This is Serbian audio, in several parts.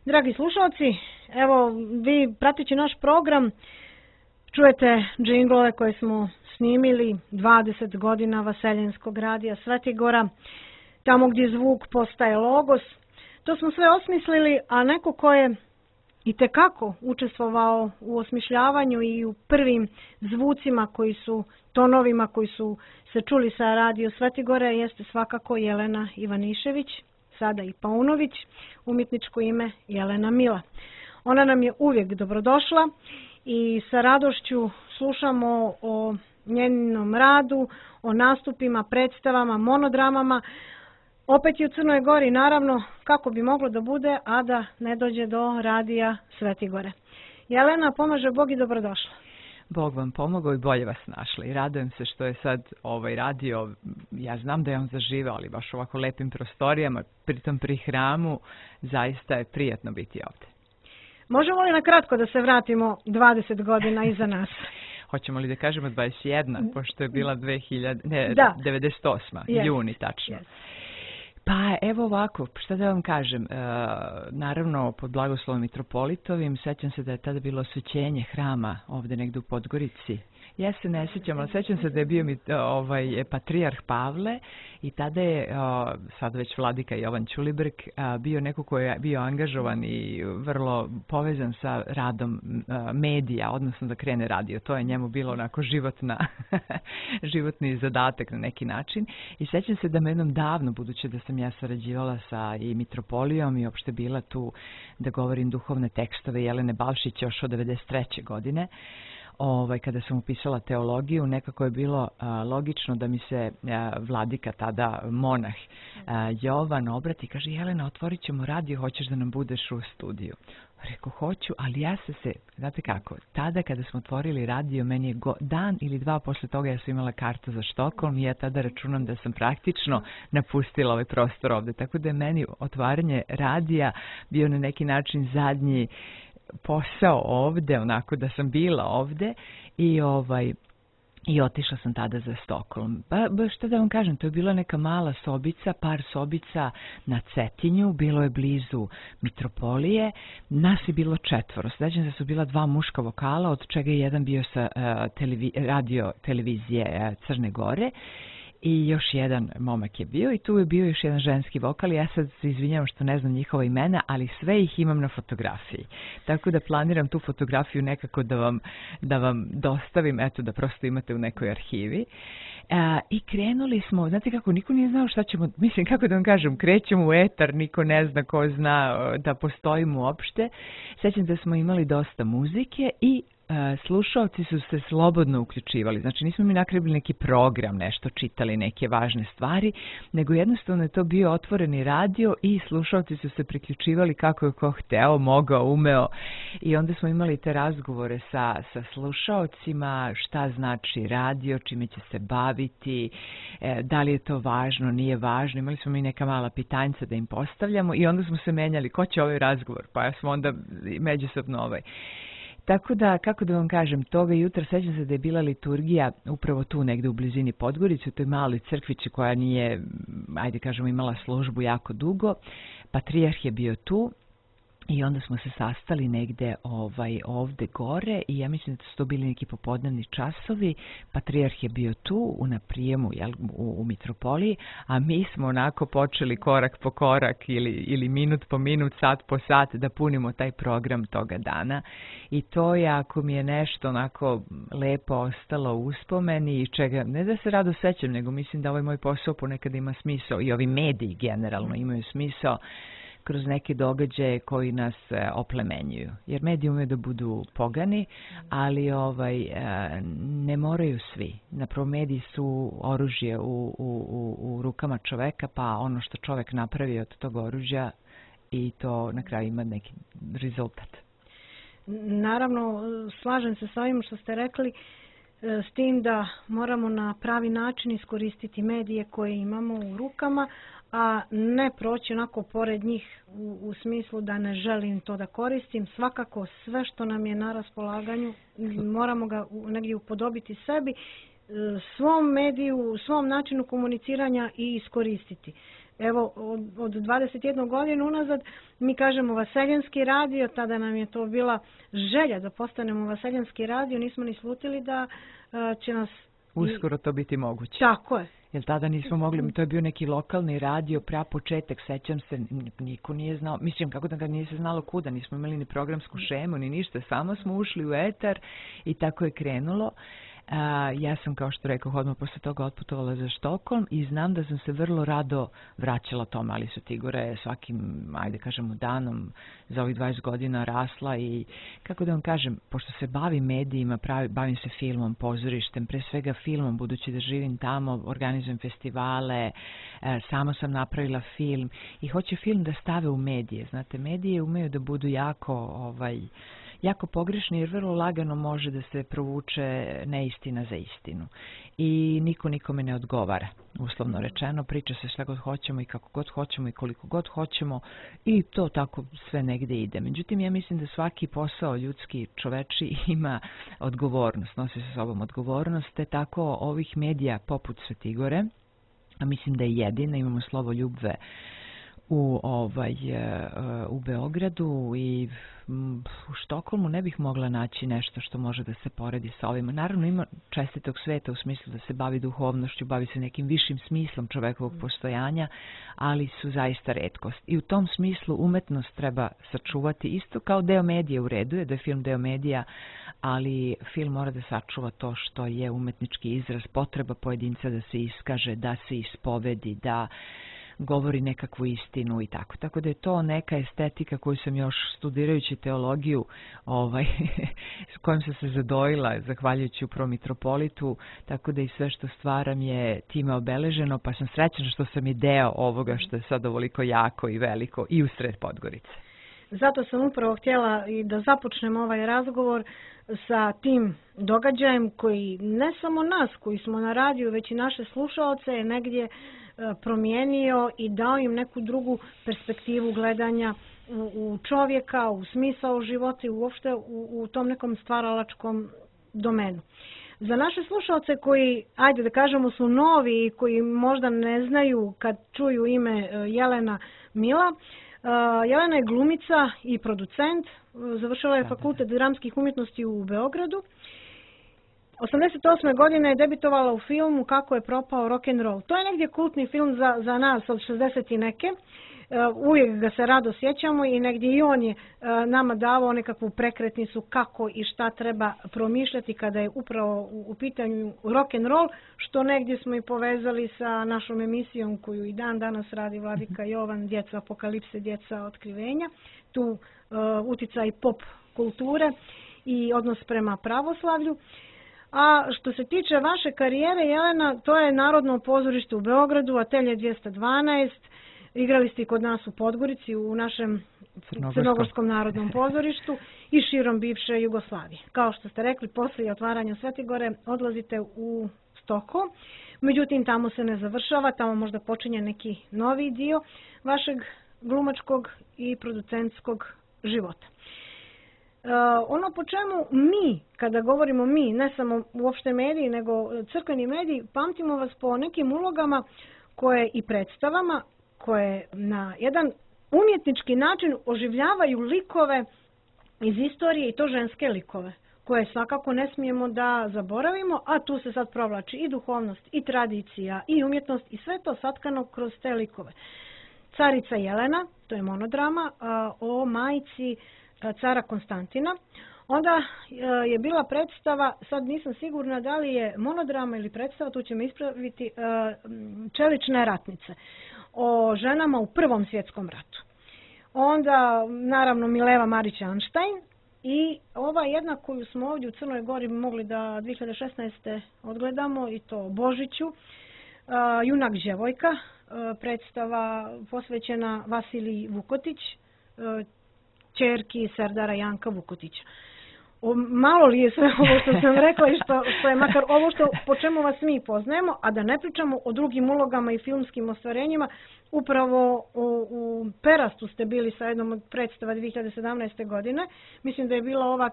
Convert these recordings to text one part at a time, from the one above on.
Dragi slušalci, evo vi prateći naš program čujete džinglove koje smo snimili 20 godina Vaseljenskog radija Svetigora, tamo gdje zvuk postaje logos. To smo sve osmislili, a neko ko je itekako učestvovao u osmišljavanju i u prvim zvucima koji su, tonovima koji su se čuli sa radio Svetigora jeste svakako Jelena Ivanišević, sada i Paunović, umjetničko ime Jelena Mila. Ona nam je uvijek dobrodošla i sa radošću slušamo o njenom radu, o nastupima, predstavama, monodramama. Opet je u Crnoj Gori, naravno, kako bi moglo da bude, a da ne dođe do radija Svetigore. Jelena, pomaže Bog i dobrodošla. Bog vam pomogao i bolje vas našli. I radujem se što je sad ovaj radio, ja znam da je on zaživao, ali baš ovako lepim prostorijama, pritom pri hramu, zaista je prijatno biti ovdje. Možemo li na kratko da se vratimo 20 godina iza nas? Hoćemo li da kažemo 21, pošto je bila 98. Yes. Juni tačno. Yes. Pa evo ovako, šta da vam kažem, naravno pod blagoslovom mitropolitovim, sećam se da je tada bilo osvećenje hrama ovdje negdje u Podgorici. Ja se ne sjećam, ali sećam se da je bio patrijarh Pavle i tada je, sad već vladika Jovan Ćulibrk, bio neko koji je bio angažovan i vrlo povezan sa radom medija, odnosno da krene radio. To je njemu bilo onako životni zadatak na neki način. I sećam se da me jednom davno, budući da sam ja sarađivala sa i mitropolijom i opšte bila tu da govorim duhovne tekstove Jelene Balšić još od 93. godine, kada sam upisala teologiju, nekako je bilo logično da mi se vladika, tada monah Jovan, obrati i kaže: Jelena, otvorit ćemo radio, hoćeš da nam budeš u studiju? Rekao, hoću, ali ja znate kako, tada kada smo otvorili radio, meni je dan ili dva posle toga ja sam imala kartu za Štokholm i ja tada računam da sam praktično napustila ovaj prostor ovde. Tako da je meni otvaranje radija bio na neki način zadnji posao ovde, onako da sam bila ovde i otišla sam tada za Stokholm. Šta da vam kažem, to je bila neka mala sobica, par sobica na Cetinju, bilo je blizu mitropolije, nas je bilo 4. Sećam se da su bila 2 muška vokala, od čega je jedan bio sa radio televizije Crne Gore. I još jedan momak je bio i tu je bio još jedan ženski vokal. Ja sad se izvinjavam što ne znam njihova imena, ali sve ih imam na fotografiji. Tako da planiram tu fotografiju nekako da vam dostavim, eto da prosto imate u nekoj arhivi. I krenuli smo, znate kako, niko nije znao šta ćemo, mislim kako da vam kažem, krećemo u etar, niko ne zna ko zna da postojimo uopšte. Sećam da smo imali dosta muzike i slušalci su se slobodno uključivali. Znači nismo mi nakribili neki program, nešto čitali, neke važne stvari, nego jednostavno je to bio otvoreni radio i slušalci su se priključivali kako je ko hteo, mogao, umeo. I onda smo imali te razgovore sa slušalcima, šta znači radio, čime će se baviti, da li je to važno, nije važno. Imali smo mi neka mala pitanjca da im postavljamo i onda smo se menjali ko će ovaj razgovor, pa smo onda međusobno Tako da, kako da vam kažem, toga jutra sećam se da je bila liturgija upravo tu negde u blizini Podgorice, u toj maloj crkvici koja nije, ajde kažemo, imala službu jako dugo. Patrijarh je bio tu i onda smo se sastali negde ovde gore i ja mislim da su to bili neki popodnevni časovi. Patrijarh je bio tu na prijemu u mitropoliji, a mi smo onako počeli korak po korak ili minut po minut, sat po sat da punimo taj program toga dana. I to je, ako mi je nešto onako lepo ostalo u uspomeni i čega, ne da se rado sećam, nego mislim da ovaj moj posao ponekad ima smisao i ovi mediji generalno imaju smisao kroz neke događaje koji nas oplemenjuju. Jer mediji umeju da budu pogani, ali ne moraju svi. Napravo mediji su oružje u rukama čoveka, pa ono što čovek napravi od tog oružja i to na kraju ima neki rezultat. Naravno, slažem se sa ovim što ste rekli, s tim da moramo na pravi način iskoristiti medije koje imamo u rukama, a ne proći onako pored njih u smislu da ne želim to da koristim. Svakako sve što nam je na raspolaganju moramo ga negdje upodobiti sebi, svom mediju, svom načinu komuniciranja i iskoristiti. Evo, od 21 godinu unazad mi kažemo Vaseljenski radio, tada nam je to bila želja da postanemo Vaseljenski radio, nismo ni slutili da će nas... Uskoro to biti moguće. Tako je. Jer tada nismo mogli, to je bio neki lokalni radio, pra početak, sećam se, niko nije znao, mislim kako da ga nije se znalo kuda, nismo imali ni programsku šemu, ni ništa, samo smo ušli u etar i tako je krenulo. Ja sam, kao što rekao, odmah posle toga otputovala za Štokholm i znam da sam se vrlo rado vraćala tome, ali su Tigore svakim, ajde kažemo, danom za ovih 20 godina rasla i, kako da vam kažem, pošto se bavim medijima, bavim se filmom, pozorištem, pre svega filmom, budući da živim tamo, organizujem festivale, sama sam napravila film i hoće film da stave u medije. Znate, medije umeju da budu jako pogrešni jer vrlo lagano može da se provuče neistina za istinu. I niko nikome ne odgovara, uslovno rečeno. Priča se šta god hoćemo i kako god hoćemo i koliko god hoćemo i to tako sve negde ide. Međutim, ja mislim da svaki posao ljudski, čoveči ima odgovornost, nosi sa sobom odgovornost, te tako ovih medija poput Svetigore, a mislim da je jedina, imamo Slovoljubve u Beogradu i u Štokholmu ne bih mogla naći nešto što može da se poredi sa ovima. Naravno ima čestitog sveta u smislu da se bavi duhovnošću, bavi se nekim višim smislom čovekovog postojanja, ali su zaista retkost. I u tom smislu umetnost treba sačuvati isto kao deo medije. U redu je da je film deo medija, ali film mora da sačuva to što je umetnički izraz, potreba pojedinca da se iskaže, da se ispovedi, da govori nekakvu istinu i tako. Tako da je to neka estetika koju sam još studirajući teologiju s kojom sam se zadojila zahvaljujući upravo mitropolitu, tako da i sve što stvaram je time obeleženo, pa sam srećna što sam i deo ovoga što je sad ovoliko jako i veliko i u sred Podgorice. Zato sam upravo htjela i da započnem ovaj razgovor sa tim događajem koji ne samo nas koji smo na radiju, već i naše slušaoce je negdje promijenio i dao im neku drugu perspektivu gledanja u čovjeka, u smisao života i uopšte u tom nekom stvaralačkom domenu. Za naše slušaoce koji, ajde da kažemo, su novi i koji možda ne znaju kad čuju ime Jelena Mila, Jelena je glumica i producent, završila je Fakultet dramskih umjetnosti u Beogradu. 88. godine je debitovala u filmu Kako je propao rock'n'roll. To je negdje kultni film za nas od 60 i neke. Uvijek ga se rado sjećamo i negdje i on je nama davao nekakvu prekretnicu kako i šta treba promišljati kada je upravo u pitanju rock'n'roll, što negdje smo i povezali sa našom emisijom koju i dan danas radi Vladika Jovan, Djeca apokalipse, Djeca otkrivenja. Tu uticaj pop kulture i odnos prema pravoslavlju. A što se tiče vaše karijere, Jelena, to je Narodno pozorište u Beogradu, Atelje 212, igrali ste i kod nas u Podgorici, u našem Crnogorskom narodnom pozorištu i širom bivše Jugoslavije. Kao što ste rekli, poslije otvaranja Svetigore odlazite u Stokholm, međutim tamo se ne završava, tamo možda počinje neki novi dio vašeg glumačkog i producentskog života. Ono po čemu mi, kada govorimo mi, ne samo uopšte mediji, nego crkveni mediji, pamtimo vas po nekim ulogama koje i predstavama, koje na jedan umjetnički način oživljavaju likove iz istorije i to ženske likove, koje svakako ne smijemo da zaboravimo, a tu se sad provlači i duhovnost, i tradicija, i umjetnost, i sve to satkano kroz te likove. Carica Jelena, to je monodrama o majci cara Konstantina. Onda je bila predstava, sad nisam sigurna da li je monodrama ili predstava, tu će me ispraviti, Čelične ratnice, o ženama u Prvom svjetskom ratu. Onda, naravno, Mileva Marić-Anštajn i ova jedna koju smo ovdje u Crnoj Gori mogli da 2016. odgledamo, i to Božiću, Junak Đevojka, predstava posvećena Vasiliji Vukotić, ćerki Serdara Janka Vukotića. malo li je sve ovo što sam rekla i što je makar ovo po čemu vas mi poznajemo, a da ne pričamo o drugim ulogama i filmskim ostvarenjima. Upravo u Perastu ste bili sa jednom od predstava 2017. godine. Mislim da je bila ova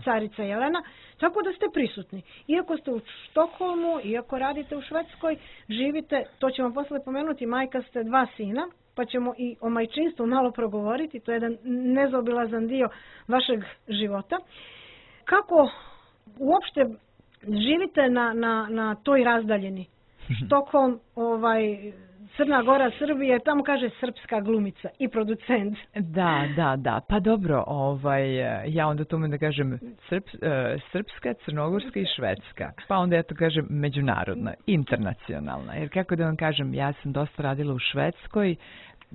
Carica Jelena. Tako da ste prisutni. Iako ste u Štokholmu, iako radite u Švedskoj, živite, to ćemo posle pomenuti, majka ste 2 sina, pa ćemo i o majčinstvu malo progovoriti. To je jedan nezaobilazan dio vašeg života. Kako uopšte živite na toj razdaljini? Štokholm, Crna Gora, Srbije, tamo kaže srpska glumica i producent. Da. Pa dobro, ja onda to da kažem srpska, crnogorska i švedska. Pa onda ja to kažem međunarodna, internacionalna. Jer kako da vam kažem, ja sam dosta radila u Švedskoj,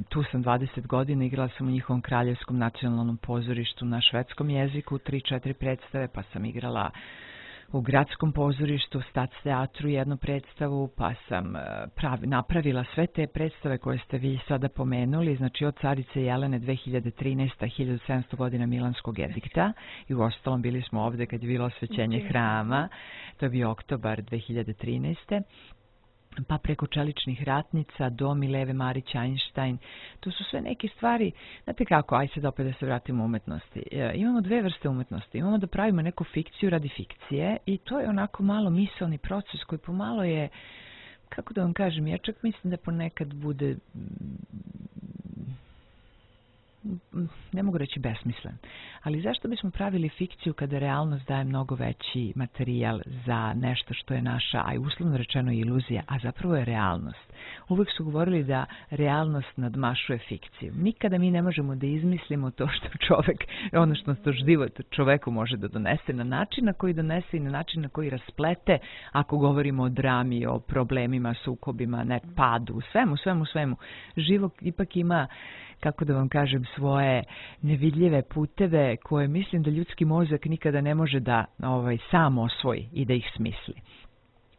tu sam 20 godina, igrala sam u njihovom kraljevskom nacionalnom pozorištu na švedskom jeziku, 3-4 predstave, pa sam igrala u gradskom pozorištu, Stadsteatru jednu predstavu, pa sam napravila sve te predstave koje ste vi sada pomenuli, znači od Carice Jelene 2013. 1700 godina Milanskog edikta i u ostalom bili smo ovde kad je bilo osvećenje hrama, to je bio oktobar 2013. Pa preko Čeličnih ratnica do Mileve Marić Einstein. To su sve neke stvari, znate kako, aj sad opet da se vratimo u umetnosti. Imamo 2 vrste umetnosti. Imamo da pravimo neku fikciju radi fikcije i to je onako malo misaoni proces koji pomalo je, kako da vam kažem, ja čak mislim da ponekad bude, ne mogu reći besmislen, ali zašto bismo pravili fikciju kada realnost daje mnogo veći materijal za nešto što je naša, a i uslovno rečeno iluzija, a zapravo je realnost. Uvijek su govorili da realnost nadmašuje fikciju. Nikada mi ne možemo da izmislimo to što čovek, ono što život čoveku može da donese na način na koji donese i na način na koji rasplete, ako govorimo o drami, o problemima, sukobima, padu, svemu. Život ipak ima, kako da vam kažem, svoje nevidljive puteve koje mislim da ljudski mozak nikada ne može da sam osvoji i da ih smisli.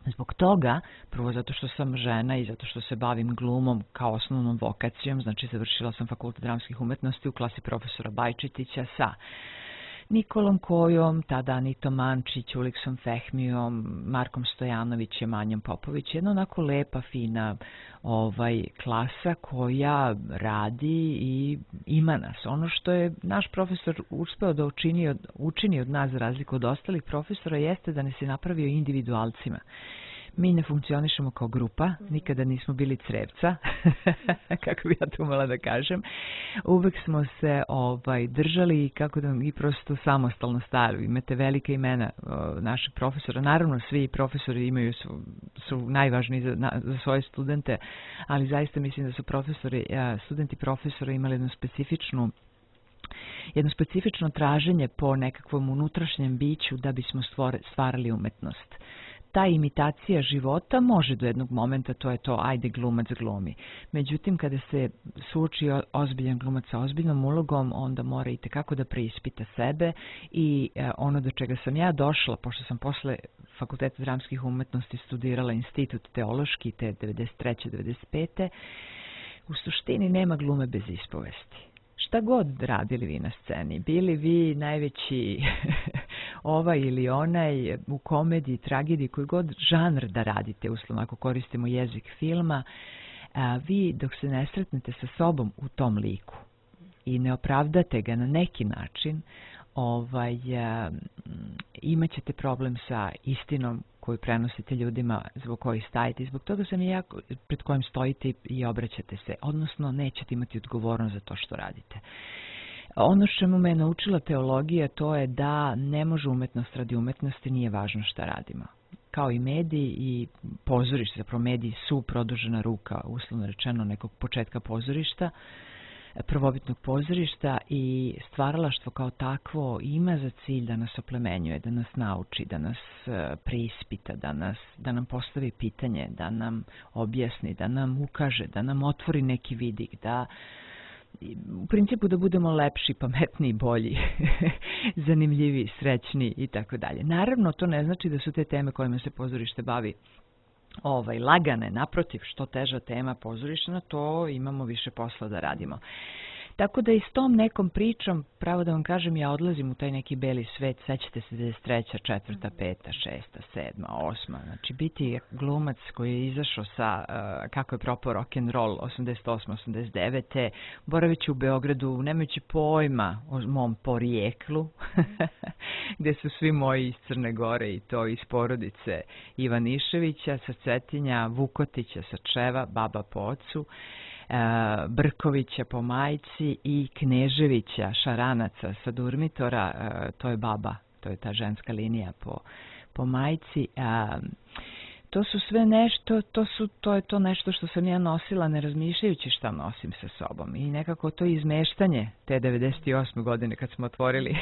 Zbog toga, prvo zato što sam žena i zato što se bavim glumom kao osnovnom vokacijom, znači završila sam Fakultet dramskih umetnosti u klasi profesora Bajčetića sa Nikolom Kojom, tada Anitom Mančić, Uliksom Fehmijom, Markom Stojanovićem, Anjom Popović. Jedna onako lepa, fina klasa koja radi i ima nas. Ono što je naš profesor uspeo da učini od nas za razliku od ostalih profesora jeste da nas je napravio individualcima. Mi ne funkcionišemo kao grupa, nikada nismo bili crevca, kako bi ja to umela da kažem. Uvek smo se držali i prosto samostalno stali. Imate velike imena naših profesora. Naravno, svi profesori su najvažniji za svoje studente, ali zaista mislim da su studenti profesora imali jedno specifično traženje po nekakvom unutrašnjem biću da bismo stvarali umetnost. Ta imitacija života može do jednog momenta, to je to, ajde glumac glumi. Međutim, kada se suoči ozbiljan glumac sa ozbiljnom ulogom, onda mora i tekako da preispita sebe i ono do čega sam ja došla, pošto sam posle Fakulteta dramskih umetnosti studirala institut teološki, te 93. 95. U suštini nema glume bez ispovesti. Šta god radili vi na sceni, bili vi najveći ovaj ili onaj u komediji, tragediji, koji god žanr da radite, uslovno ako koristimo jezik filma, vi dok se ne sretnete sa sobom u tom liku i ne opravdate ga na neki način, imat ćete problem sa istinom koju prenosite ljudima zbog kojih stajete i zbog toga sam i ja pred kojim stojite i obraćate se, odnosno nećete imati odgovornost za to što radite. Ono što me je naučila teologija, to je da ne može umetnost radi umetnosti, nije važno šta radimo. Kao i mediji i pozorište, zapravo mediji su produžena ruka, uslovno rečeno, nekog početka pozorišta, prvobitnog pozorišta, i stvaralaštvo kao takvo ima za cilj da nas oplemenjuje, da nas nauči, da nas preispita, da nam postavi pitanje, da nam objasni, da nam ukaže, da nam otvori neki vidik, da u principu da budemo lepši, pametniji, bolji, zanimljiviji, srećni i tako dalje. Naravno, to ne znači da su te teme kojima se pozorište bavi lagane, naprotiv, što teža tema pozorišna, to imamo više posla da radimo. Tako da i s tom nekom pričom, pravo da vam kažem, ja odlazim u taj neki beli svet, sećate se 93. 4. 5. 6. 7. 8. Znači biti glumac koji je izašao sa kako je propao rock'n'roll 88. 89. boraveći u Beogradu, nemajući pojma o mom porijeklu, gde su svi moji iz Crne Gore i to iz porodice Ivaniševića, sa Cetinja, Vukotića sa Čeva, baba po ocu, Brkovića po majci i Kneževića, Šaranaca sa Durmitora, to je baba, to je ta ženska linija po majci. To su sve nešto, to je to nešto što sam ja nosila ne razmišljajući šta nosim sa sobom. I nekako to izmeštanje te 98. godine kad smo otvorili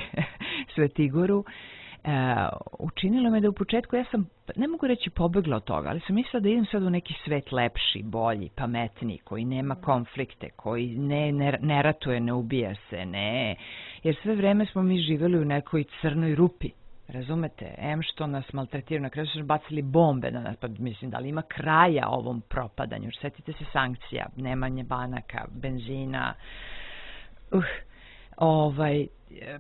Svetigoru, učinilo me da u početku, ja sam, ne mogu reći pobegla od toga, ali sam mislila da idem sad u neki svet lepši, bolji, pametniji, koji nema konflikte, koji ne ratuje, ne ubija se, ne. Jer sve vreme smo mi živjeli u nekoj crnoj rupi. Razumete? Što nas maltretiraju, na kraju su bacili bombe na nas, pa mislim da li ima kraja ovom propadanju. Sjetite se sankcija, nemanje banaka, benzina,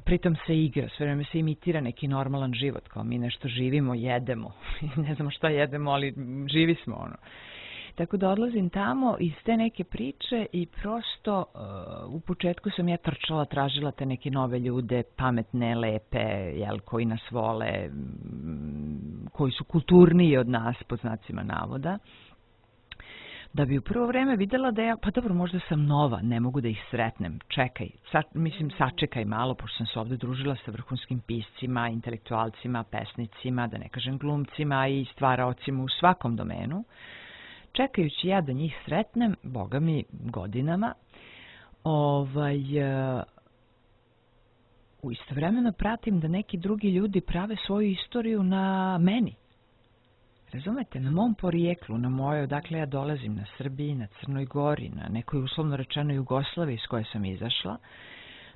pritom se igra, sve vreme se imitira neki normalan život, kao mi nešto živimo, jedemo, ne znamo šta jedemo, ali živi smo ono. Tako da odlazim tamo iz te neke priče i prosto u početku sam ja trčala, tražila te neke nove ljude, pametne, lepe, koji nas vole, koji su kulturniji od nas, pod znacima navoda. Da bi u prvo vreme videla da ja, pa dobro, možda sam nova, ne mogu da ih sretnem, čekaj, sačekaj malo, pošto sam se ovde družila sa vrhunskim piscima, intelektualcima, pesnicima, da ne kažem glumcima i stvaraocima u svakom domenu. Čekajući ja da njih sretnem, boga mi, godinama, istovremeno pratim da neki drugi ljudi prave svoju istoriju na meni. Razumete, na mom porijeklu, na mojoj, odakle ja dolazim, na Srbiji, na Crnoj Gori, na nekoj uslovno rečeno Jugoslaviji iz koje sam izašla,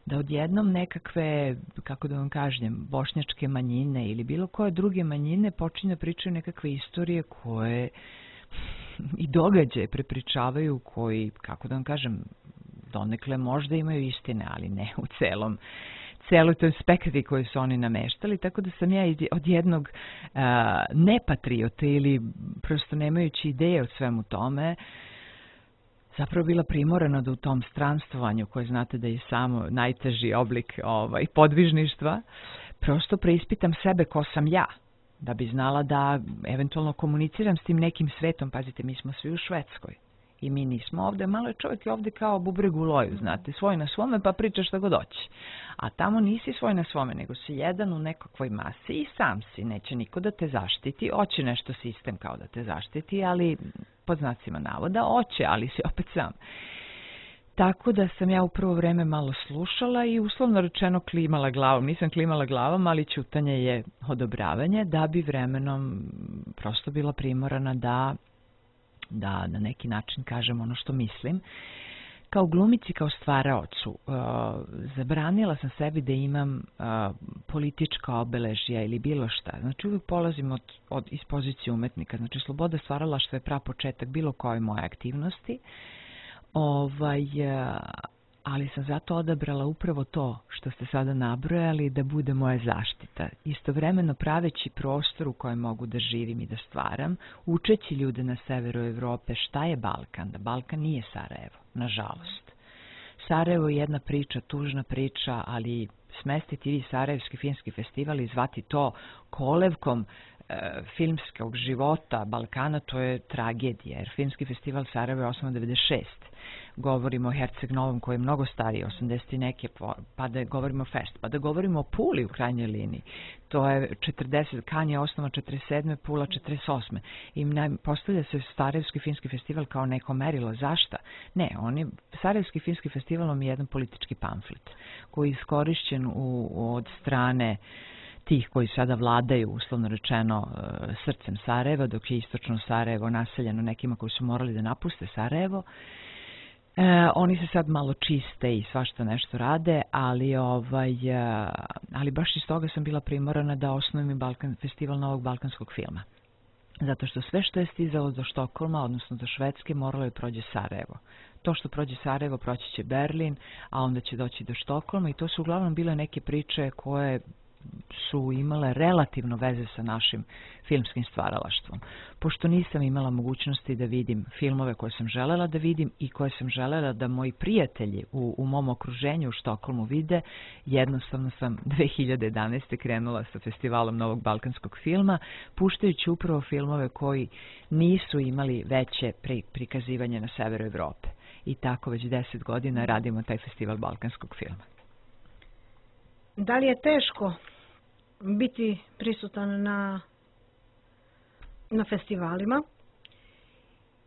da odjednom nekakve, kako da vam kažem, bošnjačke manjine ili bilo koje druge manjine počinju da pričaju nekakve istorije koje i događaje prepričavaju koji, kako da vam kažem, donekle možda imaju istine, ali ne u celoj toj spektakli koju su oni nameštali, tako da sam ja od jednog nepatriote ili prosto nemajući ideje o svemu tome, zapravo bila primorana da u tom stranstovanju, koje znate da je samo najteži oblik podvižništva, prosto preispitam sebe ko sam ja, da bi znala da eventualno komuniciram s tim nekim svetom. Pazite, mi smo svi u Švedskoj i mi nismo ovde, malo je čovjek je ovde kao bubreg u loju, znate, svoj na svome pa priča šta god hoće. A tamo nisi svoj na svome, nego si jedan u nekakvoj masi i sam si, neće niko da te zaštiti, hoće nešto sistem kao da te zaštiti, ali pod znacima navoda hoće, ali si opet sam. Tako da sam ja u prvo vreme malo slušala i uslovno rečeno klimala glavom. Nisam klimala glavom, ali ćutanje je odobravanje, da bi vremenom prosto bila primorana da na neki način kažem ono što mislim. Kao glumici, kao stvaraocu, zabranila sam sebi da imam politička obeležja ili bilo šta. Znači uvijek polazim iz pozicije umetnika. Znači sloboda stvaralaštva je prapočetak bilo koje moje aktivnosti. Ali sam zato odabrala upravo to što ste sada nabrojali, da bude moja zaštita. Istovremeno praveći prostor u kojem mogu da živim i da stvaram, učeći ljude na severu Evrope šta je Balkan, da Balkan nije Sarajevo, nažalost. Sarajevo je jedna priča, tužna priča, ali smestiti vi Sarajevski filmski festival i zvati to kolevkom filmskog života Balkana, to je tragedija, jer filmski festival Sarajevo je osnovan 96. Govorimo o Herceg Novom koji je mnogo stariji, 80 i neke, pa da govorimo Fest, pa da govorimo o Puli u krajnjoj liniji. To je 40, Kanj je osnovan 47. Pula 48. I postavlja se Sarajevski filmski festival kao neko merilo. Zašta? Ne, Sarajevski filmski festival je jedan politički pamflet koji je iskorišćen od strane tih koji sada vladaju, uslovno rečeno, srcem Sarajeva, dok je istočno Sarajevo naseljeno nekima koji su morali da napuste Sarajevo. Oni se sad malo čiste i svašta nešto rade, ali baš iz toga sam bila primorana da osnovim i festival novog balkanskog filma. Zato što sve što je stizalo do Štokholma, odnosno do Švedske, moralo je prođe Sarajevo. To što prođe Sarajevo, proći će Berlin, a onda će doći do Štokholma i to su uglavnom bile neke priče koje su imale relativno veze sa našim filmskim stvaralaštvom. Pošto nisam imala mogućnosti da vidim filmove koje sam želela da vidim i koje sam želela da moji prijatelji u mom okruženju u Štokholmu vide, jednostavno sam 2011. krenula sa festivalom Novog balkanskog filma, puštajući upravo filmove koji nisu imali veće prikazivanje na severu Evrope. I tako već 10 godina radimo taj festival balkanskog filma. Da li je teško biti prisutan na festivalima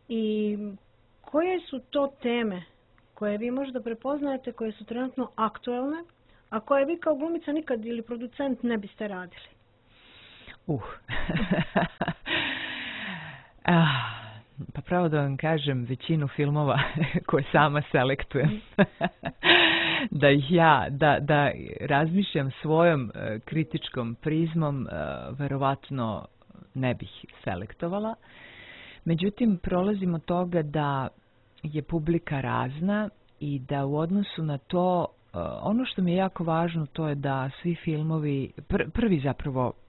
i koje su to teme koje vi možda prepoznajete, koje su trenutno aktuelne, a koje vi kao glumica nikad ili producent ne biste radili? Pa pravo da vam kažem, većinu filmova koje sama selektujem, da razmišljam svojom kritičkom prizmom, verovatno ne bih selektovala. Međutim, prolazim od toga da je publika razna i da u odnosu na to, ono što mi je jako važno, to je da svi filmovi,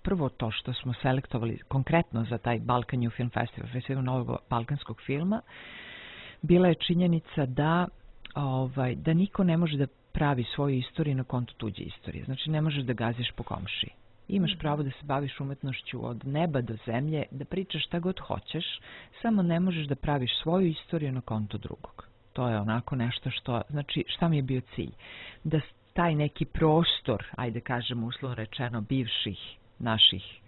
prvo to što smo selektovali konkretno za taj Balkan New Film Festival, festival novog balkanskog filma, bila je činjenica da niko ne može da pravi svoju istoriju na kontu tuđe istorije. Znači, ne možeš da gaziš po komšiji. Imaš pravo da se baviš umetnošću od neba do zemlje, da pričaš šta god hoćeš, samo ne možeš da praviš svoju istoriju na kontu drugog. To je onako nešto što, znači, šta mi je bio cilj? Da taj neki prostor, ajde kažemo uslovno rečeno, bivših naših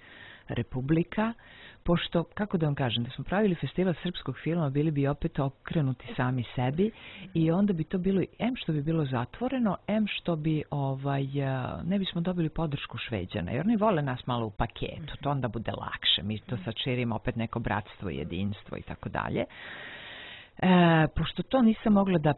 republika, pošto, kako da vam kažem, da smo pravili festival srpskog filma, bili bi opet okrenuti sami sebi i onda bi to bilo, što bi bilo zatvoreno, što bi, ne bismo dobili podršku Šveđana, jer oni vole nas malo u paketu, to onda bude lakše, mi to sad širimo opet neko bratstvo, jedinstvo i tako dalje. Pošto to nisam mogla da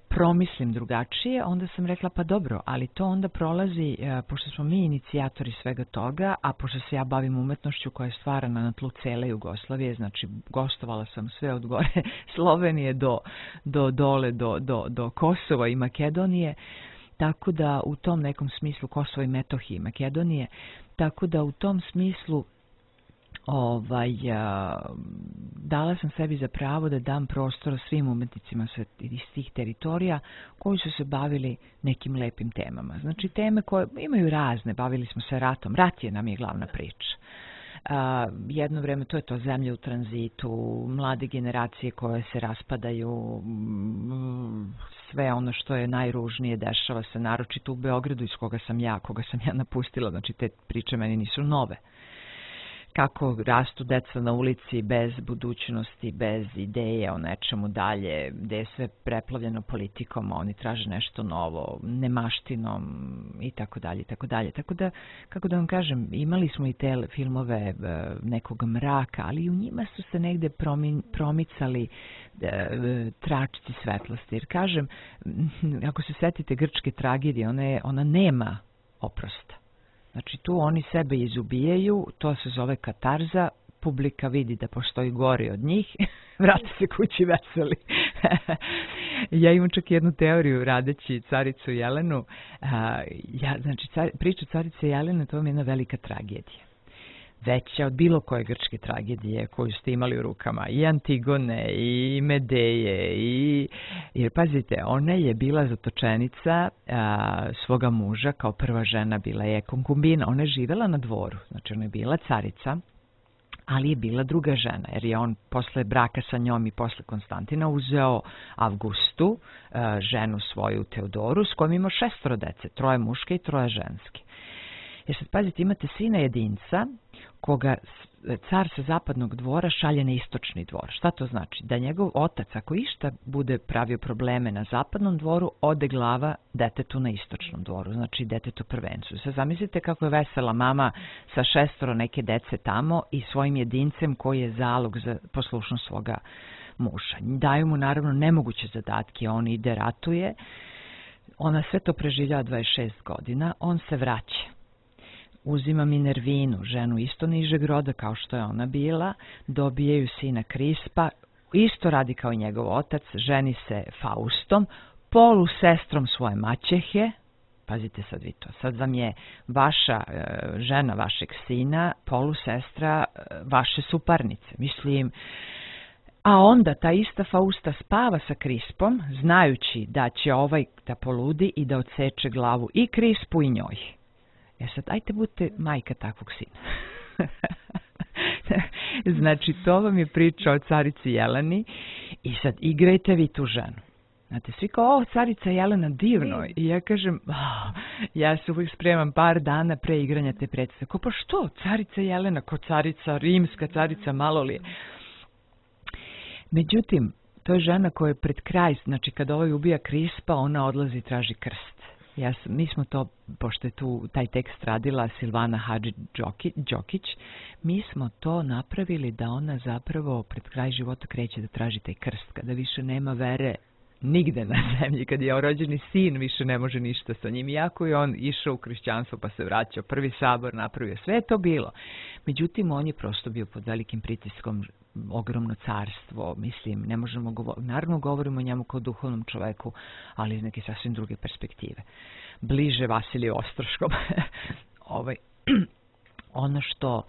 promislim drugačije, onda sam rekla pa dobro, ali to onda prolazi, pošto smo mi inicijatori svega toga, a pošto se ja bavim umetnošću koja je stvarana na tlu cele Jugoslavije, znači gostovala sam sve od gore Slovenije do dole, do Kosova i Makedonije, tako da u tom nekom smislu Kosova i Metohije i Makedonije, tako da u tom smislu dala sam sebi za pravo da dam prostor svim umetnicima iz tih teritorija koji su se bavili nekim lepim temama. Znači teme koje imaju razne, bavili smo se ratom, rat nam je glavna priča. Jedno vreme to je to zemlje u tranzitu, mlade generacije koje se raspadaju, sve ono što je najružnije dešava se, naročito u Beogradu iz koga sam ja napustila, znači te priče meni nisu nove. Kako rastu deca na ulici bez budućnosti, bez ideje o nečemu dalje, gde je sve preplavljeno politikom, oni traže nešto novo, nemaštinom i tako dalje, i tako dalje. Tako da, kako da vam kažem, imali smo i te filmove nekog mraka, ali u njima su se negde promicali tračci svetlosti. Jer kažem, ako se setite grčke tragedije, ona nema oprosta. Znači tu oni sebe izubijaju, to se zove katarza, publika vidi da postoji gori od njih, vrate se kući veseli. Ja imam čak jednu teoriju radeći Caricu Jelenu. Znači priča Carice Jelene, to vam je jedna velika tragedija. Veća od bilo koje grčke tragedije koju ste imali u rukama, i Antigone, i Medeje, jer pazite, ona je bila zatočenica svoga muža, kao prva žena bila je konkubina, ona je živela na dvoru, znači ona je bila carica, ali je bila druga žena, jer je on posle braka sa njom i posle Konstantina uzeo Avgustu, ženu svoju Teodoru, s kojom ima 6 dece, 3 muške i 3 ženske. Jer sad pazite, imate sina jedinca koga car sa zapadnog dvora šalje na istočni dvor. Šta to znači? Da njegov otac, ako išta bude pravio probleme na zapadnom dvoru, ode glava detetu na istočnom dvoru, znači detetu prvencu. Sad zamislite kako je vesela mama sa 6 neke dece tamo i svojim jedincem koji je zalog za poslušnost svoga muža. Daju mu naravno nemoguće zadatke, on ide, ratuje, ona sve to preživljava 26 godina, on se vraća. Uzima Minervinu, ženu isto nižeg roda kao što je ona bila, dobijaju sina Krispa, isto radi kao i njegov otac, ženi se Faustom, polusestrom svoje maćehe. Pazite sad vi to, sad vam je vaša žena vašeg sina polusestra vaše suparnice, mislim. A onda ta ista Fausta spava sa Krispom, znajući da će ovaj da poludi i da odseče glavu i Krispu i njoj. Sad, ajte budite majka takvog sina. Znači, to vam je priča o carici Jeleni i sad igrajte vi tu ženu. Znate, svi kao, carica Jelena, divno. I ja kažem, ja se uvijek spremam par dana pre igranja te predstave. Ko, pa što, carica Jelena, ko carica rimska, carica malo li je. Međutim, to je žena koja je pred kraj, znači kad ovaj ubija Krispa, ona odlazi i traži krst. Mi smo to, pošto je tu taj tekst radila Silvana Hadži-Đokić, mi smo to napravili da ona zapravo pred kraj života kreće da traži taj krst, kada više nema vere nigde na zemlji, kad je rođeni sin više ne može ništa sa njim, iako je on išao u hrišćanstvo pa se vraćao, prvi sabor napravio, sve je to bilo. Međutim, on je prosto bio pod velikim pritiskom, ogromno carstvo, mislim, ne možemo govoriti, naravno govorimo o njemu kao duhovnom čoveku, ali iz neke sasvim druge perspektive. Bliže Vasiliju Ostroškom. Ono što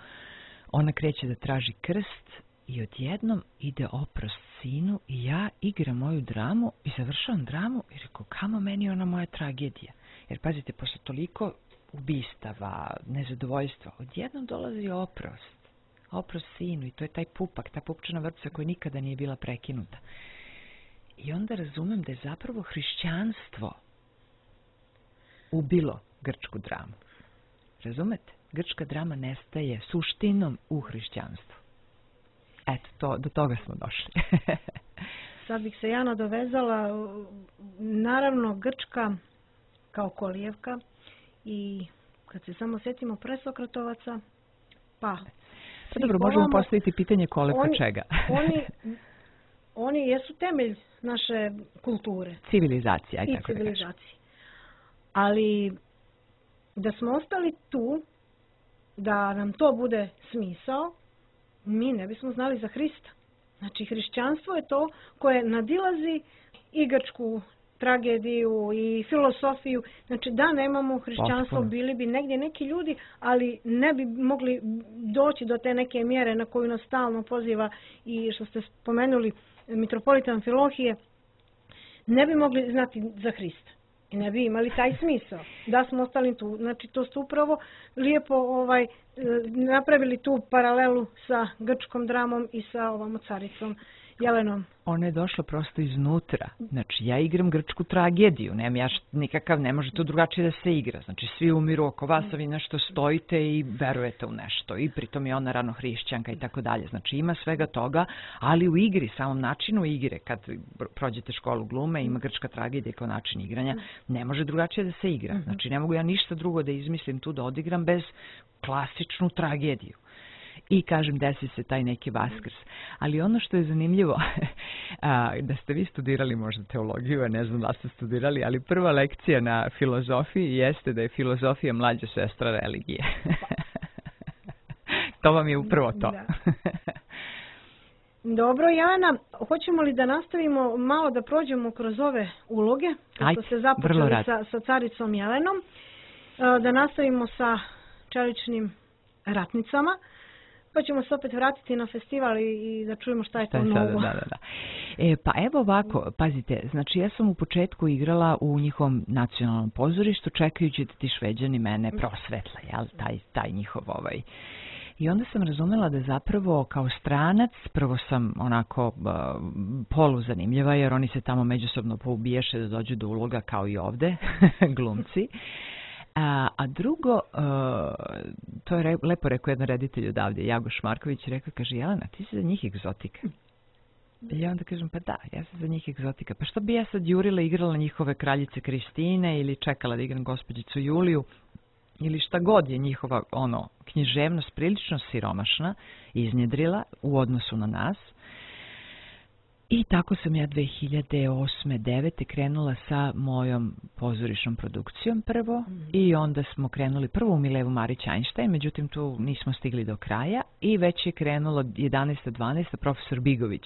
ona kreće da traži krst i odjednom ide oprost sinu i ja igram moju dramu i završavam dramu i rekao, kamo meni ona moja tragedija. Jer pazite, posle toliko ubistava, nezadovoljstva, odjednom dolazi oprost sinu i to je taj pupak, ta pupčana vrpca koja nikada nije bila prekinuta. I onda razumem da je zapravo hrišćanstvo ubilo grčku dramu. Razumete? Grčka drama nestaje suštinom u hrišćanstvu. Eto, do toga smo došli. Sad bih se ja nadovezala, naravno Grčka kao kolijevka i kad se samo sjetimo presokratovaca, pa dobro, možemo postaviti pitanje kolevka čega. Oni jesu temelj naše kulture. Civilizacija, i civilizacije. Ali da smo ostali tu, da nam to bude smisao, mi ne bismo znali za Hrista. Znači, hrišćanstvo je to koje nadilazi i grčku tragediju i filosofiju. Znači, da nemamo hrišćanstvo, bili bi negdje neki ljudi, ali ne bi mogli doći do te neke mjere na koju nas stalno poziva i što ste spomenuli mitropolita Amfilohije, ne bi mogli znati za Hrista. I ne bi imali taj smisao da smo ostali tu. Znači, to ste upravo lijepo napravili tu paralelu sa grčkom dramom i sa ovom caricom Jelenom. Ona je došla prosto iznutra. Znači, ja igram grčku tragediju. Ne može to drugačije da se igra. Znači, svi umiru oko vas, a vi nešto stojite i verujete u nešto. I pritom je ona rano hrišćanka i tako dalje. Znači, ima svega toga, ali u igri, samom načinu igre, kad prođete školu glume, ima grčka tragedija kao način igranja, ne može drugačije da se igra. Znači, ne mogu ja ništa drugo da izmislim tu da odigram bez klasičnu tragediju. I kažem, desi se taj neki Vaskrs. Ali ono što je zanimljivo, da ste vi studirali možda teologiju, ne znam da ste studirali, ali prva lekcija na filozofiji jeste da je filozofija mlađa sestra religije. To vam je upravo to. Dobro, Jana, hoćemo li da nastavimo malo da prođemo kroz ove uloge, kako ste započeli sa caricom Jelenom, da nastavimo sa čeličnim ratnicama, pa ćemo se opet vratiti na festival i da čujemo šta je to novo. Da. Pa evo ovako, pazite, znači ja sam u početku igrala u njihovom nacionalnom pozorištu, čekajući da ti Šveđani mene prosvetle, jel, taj njihov I onda sam razumela da zapravo kao stranac, prvo sam onako poluzanimljiva, jer oni se tamo međusobno poubiješe da dođu do uloga kao i ovde, glumci. A drugo, to je lepo rekao jedan reditelj odavde, Jagoš Marković, rekao, kaže, Jelena, ti si za njih egzotika. I ja onda kažem, pa da, ja sam za njih egzotika. Pa što bi ja sad jurila, igrala njihove kraljice Kristine ili čekala da igram gospođicu Juliju ili šta god je njihova književnost prilično siromašna iznjedrila u odnosu na nas. I tako sam ja 2008-2009 krenula sa mojom pozorišnom produkcijom prvo i onda smo krenuli prvo u Milevu Marić-Einstein, međutim tu nismo stigli do kraja i već je krenulo 11-12 profesor Bigović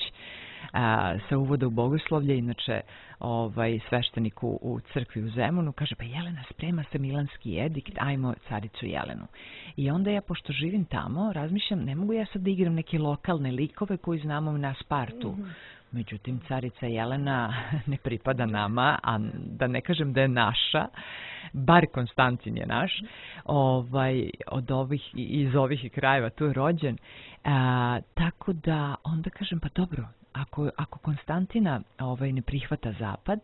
sa uvoda u bogoslovlje, inače sveštenik u crkvi u Zemunu, kaže, pa Jelena, sprema se Milanski edikt, ajmo caricu Jelenu. I onda ja, pošto živim tamo, razmišljam, ne mogu ja sad da igram neke lokalne likove koji znamo na Spartu. Međutim, carica Jelena ne pripada nama, a da ne kažem da je naša, bar Konstantin je naš, iz ovih krajeva tu je rođen. Tako da onda kažem, pa dobro, ako Konstantina ne prihvata zapad,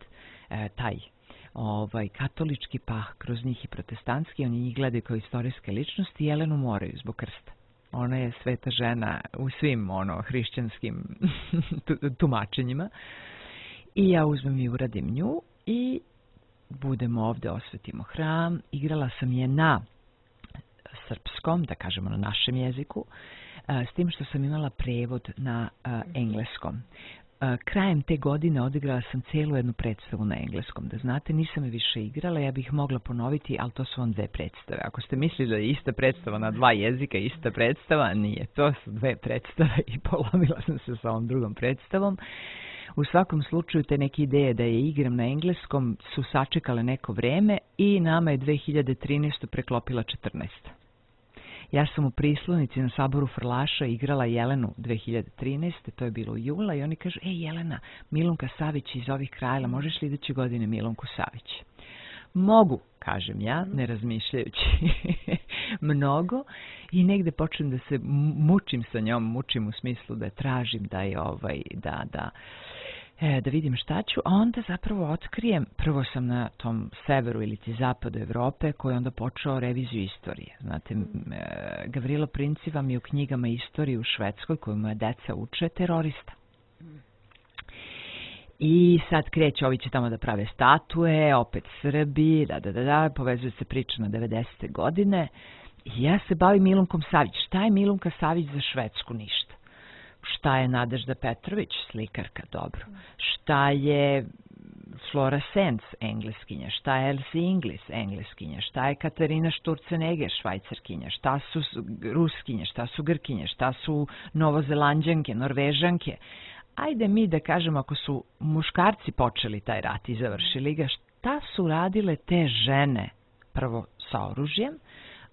taj katolički, pa kroz njih i protestantski, oni njih gledaju kao istorijske ličnosti, Jelenu moraju zbog krsta. Ona je sveta žena u svim hrišćanskim tumačenjima. I ja uzmem i uradim nju i budemo ovde, osvetimo hram. Igrala sam je na srpskom, da kažemo na našem jeziku, s tim što sam imala prevod na engleskom. Krajem te godine odigrala sam celu jednu predstavu na engleskom. Da znate, nisam je više igrala, ja bih mogla ponoviti, ali to su vam dve predstave. Ako ste mislili da je ista predstava na dva jezika, ista predstava, nije. To su dve predstave i polomila sam se sa ovom drugom predstavom. U svakom slučaju, te neke ideje da je igram na engleskom su sačekale neko vreme i nama je 2013. preklopila 14. Ja sam u Prislonici na Saboru Frlaša igrala Jelenu 2013. To je bilo u jula i oni kažu, Jelena, Milunka Savić iz ovih krajeva, možeš li iduće godine Milunku Savić? Mogu, kažem ja, ne razmišljajući mnogo i negde počnem da se mučim sa njom, mučim u smislu da tražim da je da vidim šta ću, a onda zapravo otkrijem, prvo sam na tom severu ili zapadu Evrope koji je onda počeo reviziju istorije. Znate, Gavrilo Princi vam je u knjigama istorije u Švedskoj koju moja deca uče terorista. I sad kreće, ovi će tamo da prave statue, opet Srbi, povezuje se priča na 90. godine. I ja se bavim Milunkom Savić. Šta je Milunka Savić za Švedsku? Ništa. Šta je Nadežda Petrović? Slikarka, dobro. Šta je Flora Sens? Engleskinja. Šta je Elsie Inglis? Engleskinja. Šta je Katarina Šturcenegger? Švajcarkinja. Šta su Ruskinje? Šta su Grkinje? Šta su Novozelanđanke? Norvežanke? Ajde mi da kažemo, ako su muškarci počeli taj rat i završili ga, šta su radile te žene? Prvo sa oružjem,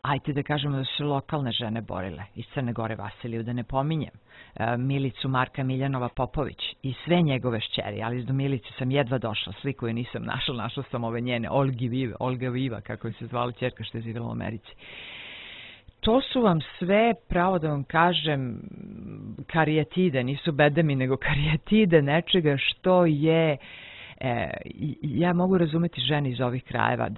ajde da kažemo da su lokalne žene borile. Iz Crne Gore Vasiliju, da ne pominjem. Milicu Marka Miljanova Popović i sve njegove šćeri, ali do Milice sam jedva došla, sliku je nisam našla sam ove njene, Olga Viva, kako je se zvala ćerka što je živjela u Americi. To su vam sve, pravo da vam kažem, karijatide, nisu bedemi, nego karijatide nečega što je, ja mogu razumeti žene iz ovih krajeva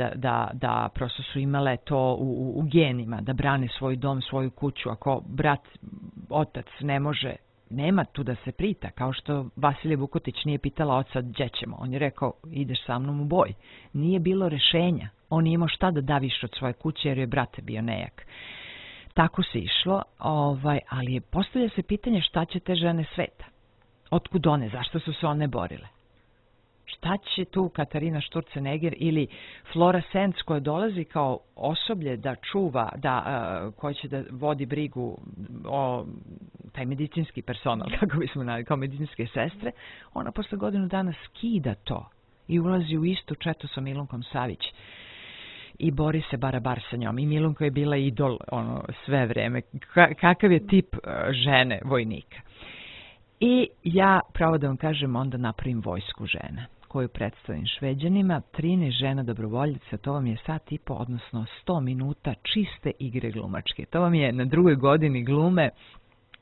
da prosto su imale to u genima, da brane svoj dom, svoju kuću. Ako brat, otac ne može, nema tu da se prita, kao što Vasilija Vukotić nije pitala oca gdje ćemo. On je rekao, ideš sa mnom u boj. Nije bilo rešenja. On nije imao šta da da više od svoje kuće jer je brate bio nejak. Tako se išlo, ali postavlja se pitanje šta će te žene sveta. Otkud one? Zašto su se one borile? Šta će tu Katarina Šturcenegger ili Flora Sens koja dolazi kao osoblje da čuva, koja će da vodi brigu o taj medicinski personal, kako bismo naveli, kao medicinske sestre, ona posle godinu dana skida to i ulazi u istu četu sa Milunkom Savić i bori se barabar sa njom. I Milunka je bila idol sve vreme. Kakav je tip žene vojnika. I ja, pravo da vam kažem, onda napravim vojsku žena koju predstavim Šveđanima, 13 žena dobrovoljica, to vam je sat i po, odnosno 100 minuta čiste igre glumačke. To vam je na drugoj godini glume.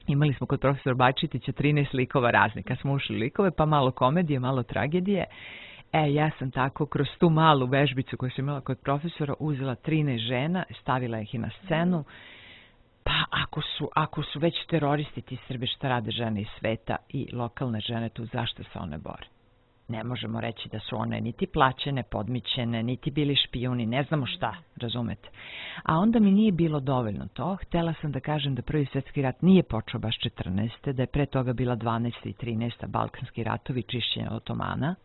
Imali smo kod profesora Bajčitića 13 likova raznih. Kad smo ušli likove, pa malo komedije, malo tragedije. Ja sam tako kroz tu malu vežbicu koju sam imala kod profesora uzela 13 žena, stavila ih i na scenu. Pa ako su već teroristi ti Srbi, šta rade žene iz sveta i lokalne žene tu, zašto se one bore? Ne možemo reći da su one niti plaćene, podmićene, niti bili špijuni, ne znamo šta, razumete. A onda mi nije bilo dovoljno to. Htjela sam da kažem da Prvi svjetski rat nije počeo baš 14. da je pre toga bila 12. i 13. Balkanski ratovi, čišćenje Otomana.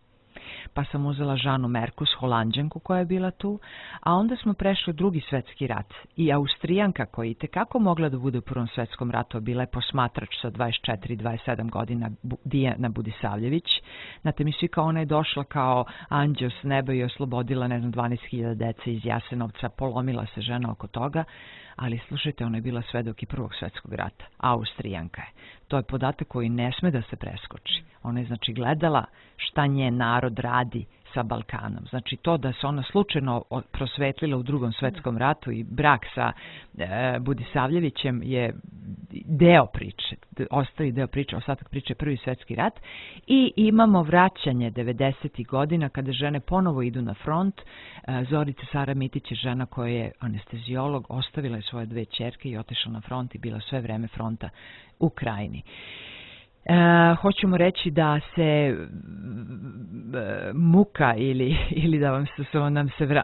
pa sam uzela Žanu Merkus, Holanđanku koja je bila tu, a onda smo prešli u Drugi svjetski rat i Austrijanka koja je kako mogla da bude u Prvom svjetskom ratu, bila je posmatrač sa 24-27 godina, Dijana Budisavljević. Znate mi svi kao ona je došla kao anđeo s neba i oslobodila 12.000 dece iz Jasenovca, polomila se žena oko toga, ali slušajte, ona je bila svedok i Prvog svjetskog rata, Austrijanka je. To je podatak koji ne sme da se preskoči. Ona je znači gledala šta njen narod radi sa Balkanom. Znači to da se ona slučajno prosvetlila u Drugom svjetskom ratu i brak sa Budisavljevićem je deo priče, ostaje deo priče, ostatak priče Prvi svjetski rat i imamo vraćanje 90. godina kada žene ponovo idu na front. Zorica Sara Mitić je žena koja je anestezijolog, ostavila je svoje 2 ćerke i otišla na front i bila sve vreme fronta u Krajini. Hoćemo reći da se muka ili da nam se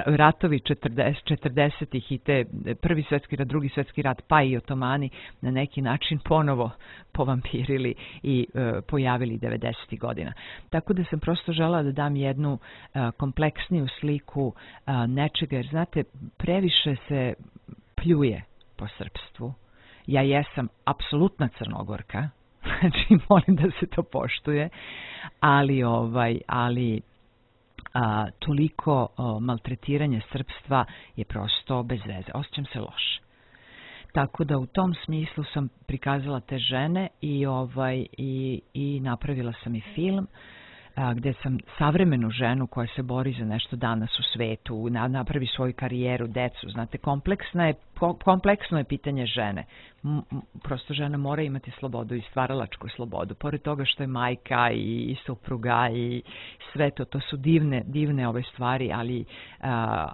ratovi 40-ih i te Prvi svjetski rat, Drugi svjetski rat, pa i Otomani na neki način ponovo povampirili i pojavili 90. godina. Tako da sam prosto žela da dam jednu kompleksniju sliku nečega, jer znate, previše se pljuje po srpstvu. Ja jesam apsolutna Crnogorka, znači molim da se to poštuje, ali toliko maltretiranje srpstva je prosto bez veze. Osjećam se loše. Tako da u tom smislu sam prikazala te žene i napravila sam i film gdje sam savremenu ženu koja se bori za nešto danas u svetu, napravi svoju karijeru, decu. Znate, kompleksno je pitanje žene. Prosto žena mora imati slobodu i stvaralačku slobodu. Pored toga što je majka i supruga i sve to su divne ove stvari, ali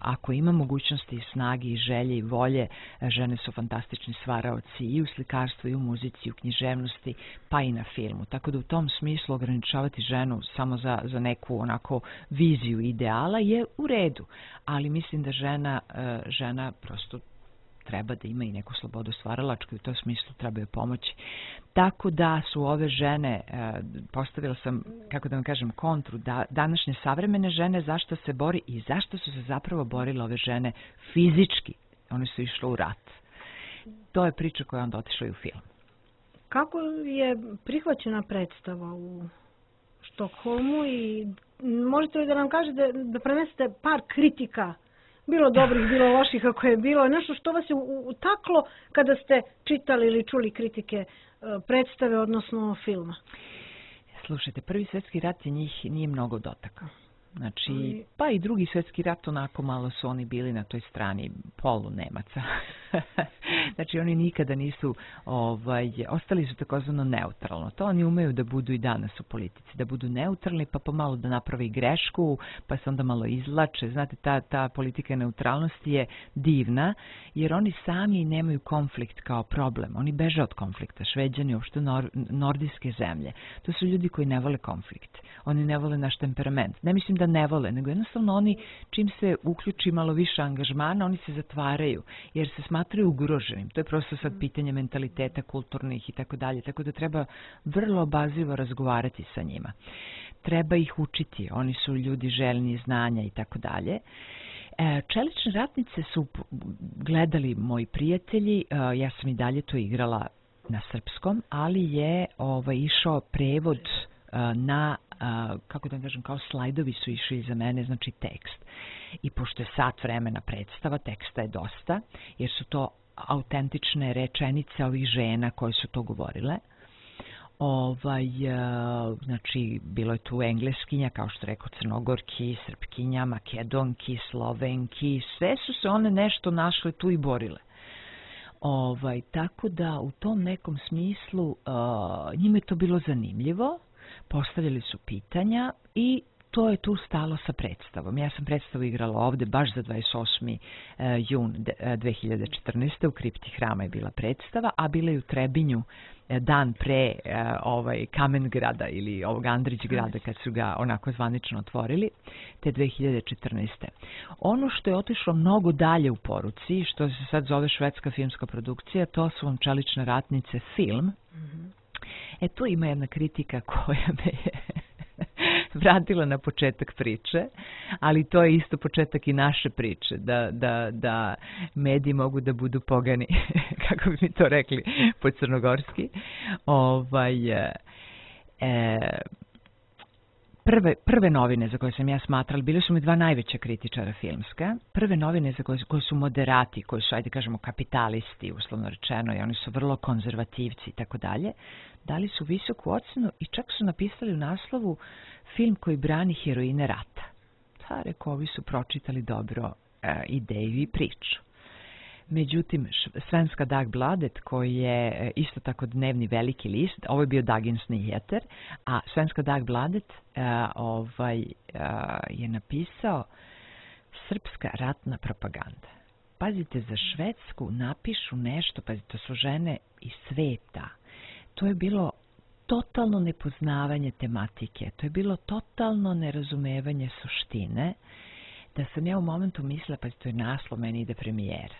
ako ima mogućnosti, snage i želje i volje, žene su fantastični stvaraoci i u slikarstvu, i u muzici, i u književnosti, pa i na filmu. Tako da u tom smislu ograničavati ženu samo za neku onako viziju ideala je u redu. Ali mislim da žena prosto treba da ima i neku slobodu stvaralačku i u tom smislu treba joj pomoći. Tako da su ove žene, postavila sam, kako da vam kažem, kontru, današnje savremene žene, zašto se bori i zašto su se zapravo borile ove žene fizički. One su išle u rat. To je priča koja je onda otišla i u film. Kako je prihvaćena predstava u Štokholmu i možete li da nam kažete da prenesete par kritika, bilo dobrih, bilo loših, kako je bilo, nešto što vas je utaklo kada ste čitali ili čuli kritike predstave, odnosno filma? Slušajte, Prvi svjetski rat je njih nije mnogo dotakao. Znači, pa i Drugi svjetski rat, onako malo su oni bili na toj strani polu Nemaca. Znači, oni nikada nisu, ostali su takozvano neutralno. To oni umeju da budu i danas u politici, da budu neutralni, pa pomalo da naprave grešku, pa se onda malo izvlače. Znate, ta politika neutralnosti je divna, jer oni sami nemaju konflikt kao problem. Oni beže od konflikta. Šveđani, uopšte nordijske zemlje. To su ljudi koji ne vole konflikt. Oni ne vole naš temperament. Ne mislim da ne vole, nego jednostavno oni, čim se uključi malo više angažmana, oni se zatvaraju, jer se smatraju ugroženim. To je prosto sad pitanje mentaliteta, kulturnih i tako dalje. Tako da treba vrlo obazrivo razgovarati sa njima. Treba ih učiti. Oni su ljudi željni znanja i tako dalje. Čelične ratnice su gledali moji prijatelji. Ja sam i dalje to igrala na srpskom, ali je išao prevod na, kako da kažem, kao slajdovi su išli za mene, znači tekst. I pošto je sat vremena predstava, teksta je dosta, jer su to autentične rečenice ovih žena koje su to govorile. Znači, bilo je tu engleskinja, kao što rekao, Crnogorki, Srpkinja, Makedonki, Slovenki, sve su se one nešto našle tu i borile. Tako da u tom nekom smislu njima je to bilo zanimljivo, postavljali su pitanja i to je tu stalo sa predstavom. Ja sam predstavu igrala ovde baš za 28. jun 2014. U kripti hrama je bila predstava, a bila je u Trebinju dan pre Kamengrada ili ovog Andrićgrada kad su ga onako zvanično otvorili, te 2014. Ono što je otišlo mnogo dalje u poruci, što se sad zove švedska filmska produkcija, to su vam Čelične ratnice film. Tu ima jedna kritika koja me je vratila na početak priče, ali to je isto početak i naše priče, da mediji mogu da budu pogani, kako bi mi to rekli po crnogorski. Prve novine za koje sam ja smatrala, bile su mi dva najveća kritičara filmska, prve novine za koje su moderati, koji su, ajde kažemo, kapitalisti, uslovno rečeno, i oni su vrlo konzervativci i tako dalje, dali su visoku ocenu i čak su napisali u naslovu film koji brani heroine rata. Rekao, ovi su pročitali dobro ideju i priču. Međutim, Svenska Dagbladet, koji je isto tako dnevni veliki list, ovo je bio Dagens Nyheter, a Svenska Dagbladet je napisao srpska ratna propaganda. Pazite, za Švedsku napišu nešto, pazite, to su žene iz sveta. To je bilo totalno nepoznavanje tematike, to je bilo totalno nerazumevanje suštine, da sam ja u momentu mislila, pazite, to je naslov, meni ide premijera.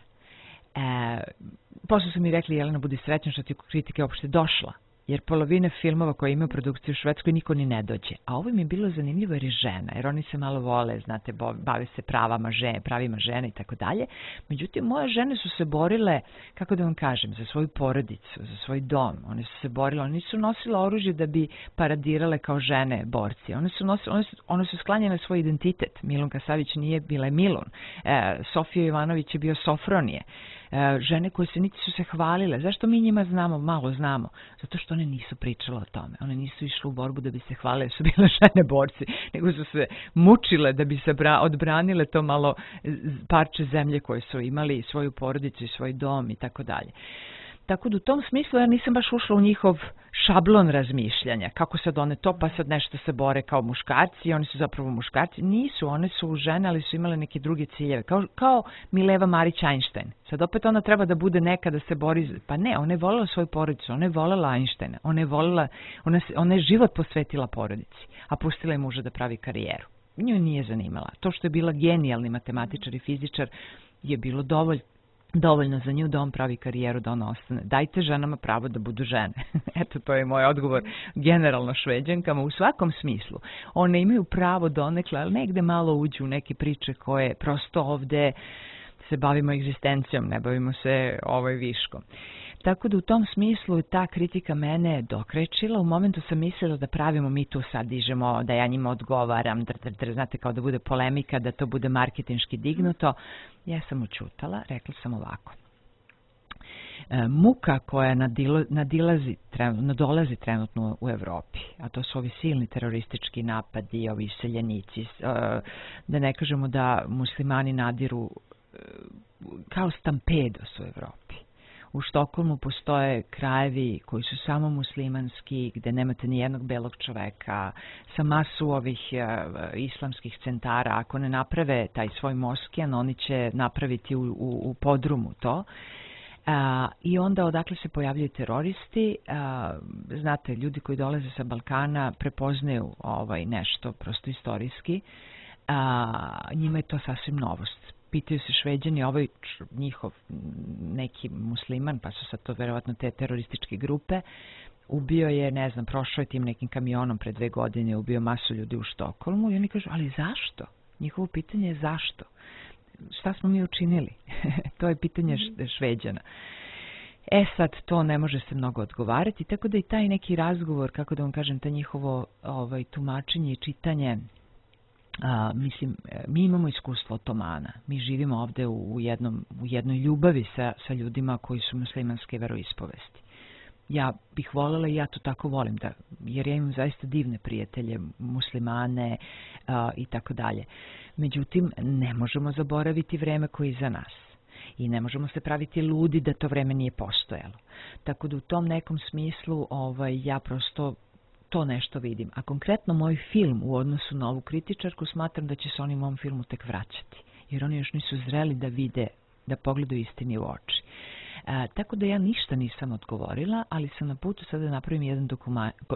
Posle su mi rekli, Jelena, budi srećna što ti kritike uopšte došla, jer polovina filmova koje imaju produkciju u Švedskoj niko ni ne dođe. A ovo mi je bilo zanimljivo jer je žena, jer oni se malo vole, znate, bave se pravima žene i tako dalje. Međutim, moje žene su se borile, kako da vam kažem, za svoju porodicu, za svoj dom. One su se borile, one nisu nosile oružje da bi paradirale kao žene borci. One su sklanjene svoj identitet. Milunka Savić nije bila Milun. Sofija Ivanović je bio Sofronije. Žene koje se niti su se hvalile. Zašto mi njima malo znamo? Zato što one nisu pričale o tome. One nisu išle u borbu da bi se hvalile, su bile žene borci, nego su se mučile da bi se odbranile to malo parče zemlje koje su imali, svoju porodicu i svoj dom i tako dalje. Tako da u tom smislu ja nisam baš ušla u njihov šablon razmišljanja. Kako sad one to, pa sad nešto se bore kao muškarci i oni su zapravo muškarci. Nisu, one su žene, ali su imale neke druge ciljeve. Kao Mileva Marić-Einstein. Sad opet ona treba da bude neka da se bori. Pa ne, ona je voljela svoju porodicu, ona je voljela Einsteina. Ona je život posvetila porodici, a pustila je muža da pravi karijeru. Nju nije zanimala. To što je bila genijalni matematičar i fizičar je bilo dovoljno za nju da on pravi karijeru, da ona ostane. Dajte ženama pravo da budu žene. Eto, to je moj odgovor generalno Šveđankama u svakom smislu. One imaju pravo donekle, ali negde malo uđu u neke priče koje prosto ovde se bavimo egzistencijom, ne bavimo se viškom. Tako da u tom smislu ta kritika mene dokrećila. U momentu sam mislila da pravimo, mi tu sad dižemo, da ja njima odgovaram, znate, kao da bude polemika, da to bude marketinški dignuto. Ja sam učutala, rekla sam ovako. Muka koja nadolazi trenutno u Evropi, a to su ovi silni teroristički napadi, ovi iseljenici, da ne kažemo da muslimani nadiru kao stampedos u Evropi. U Štokholmu postoje krajevi koji su samo muslimanski, gde nemate ni jednog belog čoveka, sa masu ovih islamskih centara. Ako ne naprave taj svoj moskijan, oni će napraviti u podrumu to. I onda odakle se pojavljaju teroristi, znate, ljudi koji dolaze sa Balkana prepoznaju nešto prosto istorijski, njima je to sasvim novost. Pitaju se Šveđani, njihov neki musliman, pa su sad to verovatno te terorističke grupe, ubio je, ne znam, prošao je tim nekim kamionom pre 2 godine, ubio masu ljudi u Štokholmu i oni kažu, ali zašto? Njihovo pitanje je zašto? Šta smo mi učinili? To je pitanje Šveđana. Sad to ne može se mnogo odgovarati, tako da i taj neki razgovor, kako da vam kažem, ta njihovo tumačenje i čitanje, mislim, mi imamo iskustvo otomana. Mi živimo ovde u jednoj ljubavi sa ljudima koji su muslimanske veroispovesti. Ja bih voljela i ja to tako volim, jer ja imam zaista divne prijatelje, muslimane i tako dalje. Međutim, ne možemo zaboraviti vreme koje je iza nas. I ne možemo se praviti ludi da to vreme nije postojalo. Tako da u tom nekom smislu ja prosto to nešto vidim. A konkretno moj film u odnosu na ovu kritičarku smatram da će se oni u mom filmu tek vraćati. Jer oni još nisu zreli da vide, da pogledaju istini u oči. Tako da ja ništa nisam odgovorila, ali sam na putu sada da napravim jedan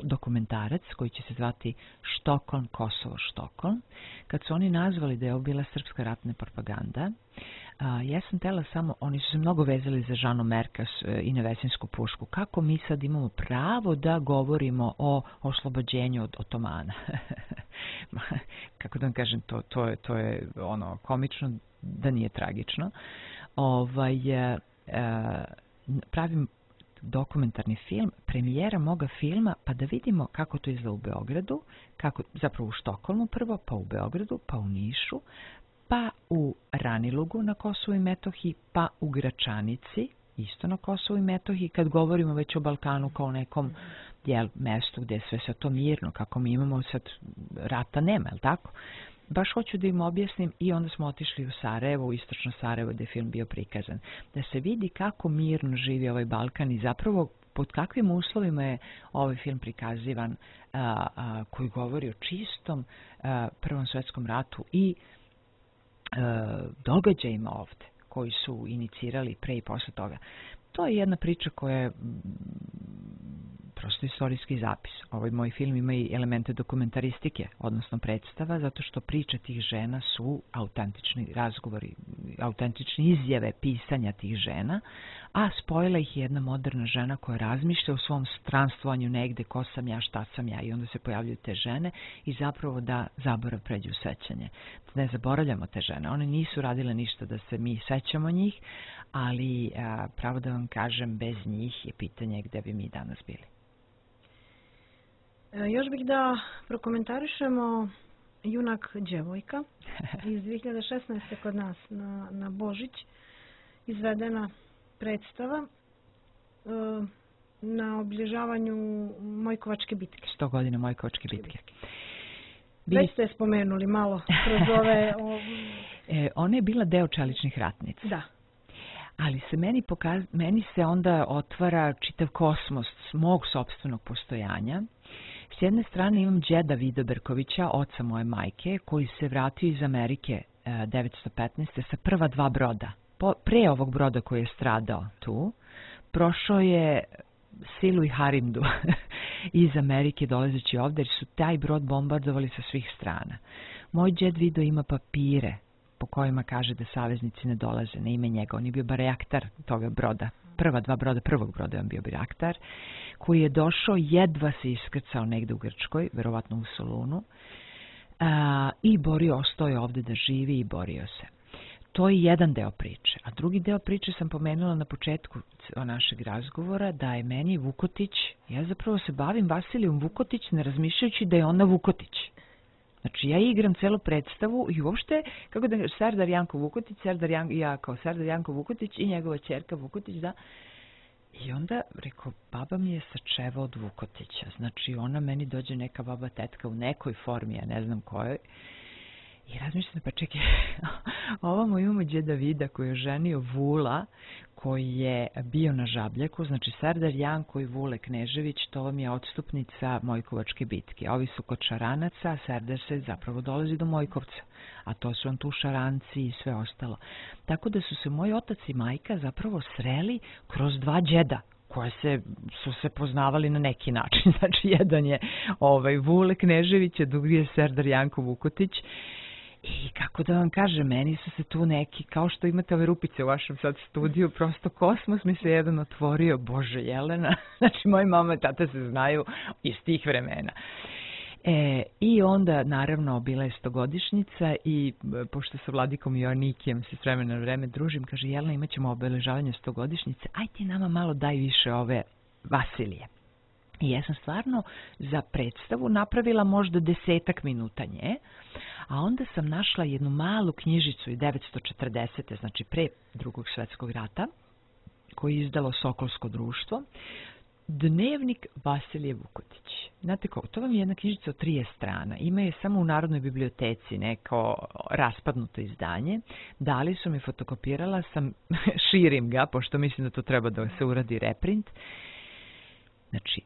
dokumentarac koji će se zvati Štokholm, Kosovo, Štokholm. Kad su oni nazvali da je ovo bila srpska ratna propaganda, ja sam tela samo, oni su se mnogo vezali za Žanu Merkas i Nevesinsku pušku. Kako mi sad imamo pravo da govorimo o oslobođenju od otomana? kako da vam kažem, to je ono komično da nije tragično. Pravim dokumentarni film, premijera moga filma, pa da vidimo kako to izgleda u Beogradu, zapravo u Štokholmu prvo, pa u Beogradu, pa u Nišu, pa u Ranilugu na Kosovu i Metohiji, pa u Gračanici, isto na Kosovu i Metohiji, kad govorimo već o Balkanu kao nekom mestu gdje je sve to mirno, kako mi imamo sad, rata nema, je tako? Baš hoću da im objasnim i onda smo otišli u Sarajevo, u istočno Sarajevo gdje je film bio prikazan. Da se vidi kako mirno živi ovaj Balkan i zapravo pod kakvim uslovima je ovaj film prikazivan, koji govori o čistom Prvom svjetskom ratu i događajima ovdje koji su inicirali pre i posle toga. To je jedna priča koja je prosto istorijski zapis. Ovaj moj film ima i elemente dokumentaristike, odnosno predstava, zato što priče tih žena su autentični razgovori, autentične izjave pisanja tih žena, a spojila ih je jedna moderna žena koja razmišlja o svom stranstvanju negde, ko sam ja, šta sam ja, i onda se pojavljuju te žene i zapravo da zaborav pređe u sećanje. Ne zaboravljamo te žene, one nisu radile ništa da se mi sećamo njih, ali pravo da vam kažem, bez njih je pitanje gde bi mi danas bili. Još bih da prokomentarišemo Junak djevojka iz 2016. kod nas na Božić izvedena predstava na obilježavanju Mojkovačke bitke. 100 godina Mojkovačke bitke. Već ste spomenuli malo kroz ove... Ona je bila deo čeličnih ratnica. Da. Ali se meni se onda otvara čitav kosmos mog sopstvenog postojanja. S jedne strane imam džeda Vida Berkovića, oca moje majke, koji se vratio iz Amerike 1915. sa prva 2 broda. Pre ovog broda koji je stradao tu, prošao je Silu i Harindu iz Amerike dolazeći ovdje, jer su taj brod bombardovali sa svih strana. Moj džed Vido ima papire po kojima kaže da saveznici ne dolaze na ime njega. On je bio baraktar toga broda. Prva 2 broda, prvog broda je on bio baraktar, koji je došao, jedva se iskrcao negde u Grčkoj, verovatno u Solunu, i ostao je ovdje da živi i borio se. To je jedan deo priče. A drugi deo priče sam pomenula na početku našeg razgovora, da je meni Vukotić, ja zapravo se bavim Vasilijom Vukotić ne razmišljajući da je ona Vukotić. Znači, ja igram celu predstavu i uopšte, kako da Serdar Janko Vukotić, ja kao Serdar Janko Vukotić i njegova ćerka Vukotić, da. I onda, rekao, baba mi je sačeva od Vukotića. Znači, ona meni dođe neka baba tetka u nekoj formi, ja ne znam kojoj. I razmišljam, pa čekaj, ovamo imamo džeda Vida koji je ženio Vula, koji je bio na Žabljaku, znači Serdar Janko i Vule Knežević, to vam je odstupnica Mojkovačke bitke. Ovi su kod Šaranaca, a Serdar se zapravo dolazi do Mojkovca, a to su on tu Šaranci i sve ostalo. Tako da su se moj otac i majka zapravo sreli kroz 2 džeda, koje su se poznavali na neki način. Znači, jedan je Vule Knežević, a drugi je Serdar Janko Vukotić. I kako da vam kažem, meni su se tu neki, kao što imate ove rupice u vašem sad studiju, prosto kosmos mi se jedan otvorio, Bože Jelena, znači moji mama i tata se znaju iz tih vremena. I onda, naravno, bila je 100-godišnjica i pošto sa Vladikom Joannikijem se s vremena na vreme družim, kaže, Jelena, imat ćemo obeležavanje 100-godišnjice, aj ti nama malo daj više ove Vasilije. I ja sam stvarno za predstavu napravila možda 10 minuta nje, a onda sam našla jednu malu knjižicu iz 1940. znači pre Drugog svjetskog rata, koji je izdalo Sokolsko društvo, Dnevnik Vasilije Vukotić. Znate kako, to vam je jedna knjižica od 30 strana. Ima je samo u Narodnoj biblioteci neko raspadnuto izdanje. Dali su mi, fotokopirala sam, širim ga, pošto mislim da to treba da se uradi reprint. Znači,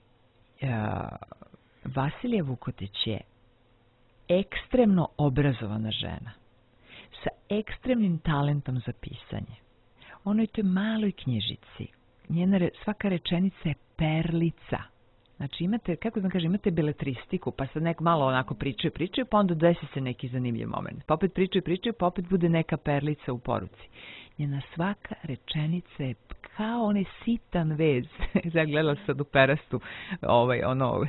Vasilija Vukotić je ekstremno obrazovana žena sa ekstremnim talentom za pisanje. Ona je u toj maloj knjižici. Svaka rečenica je perlica. Znači, imate, kako da kažem, imate beletristiku, pa sad neko malo onako pričaju, pa onda desi se neki zanimljiv moment. Pa opet pričaju, pa opet bude neka perlica u poruci. Njena svaka rečenica je kao onaj sitan vez. Ja gledala sad u Perastu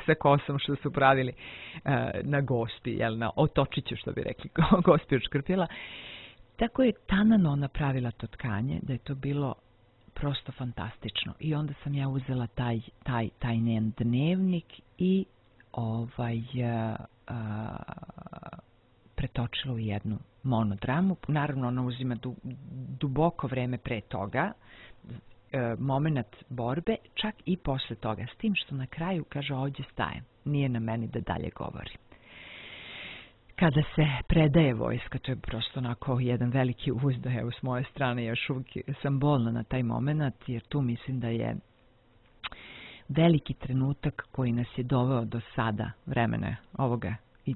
sa kosom što su pravili na Gospi, na Otočiću što bi rekli, Gospi od Škrpjela. Tako je tanano napravila to tkanje da je to bilo prosto fantastično. I onda sam ja uzela taj njen dnevnik i pretočila u jednu monodramu. Naravno, ona uzima duboko vreme pre toga, moment borbe, čak i posle toga. S tim što na kraju kaže ovdje stajem. Nije na meni da dalje govorim. Kada se predaje vojska, to je prosto onako jedan veliki uzdaj, evo s moje strane, još uvijek sam bolna na taj moment, jer tu mislim da je veliki trenutak koji nas je doveo do sada vremena ovoga i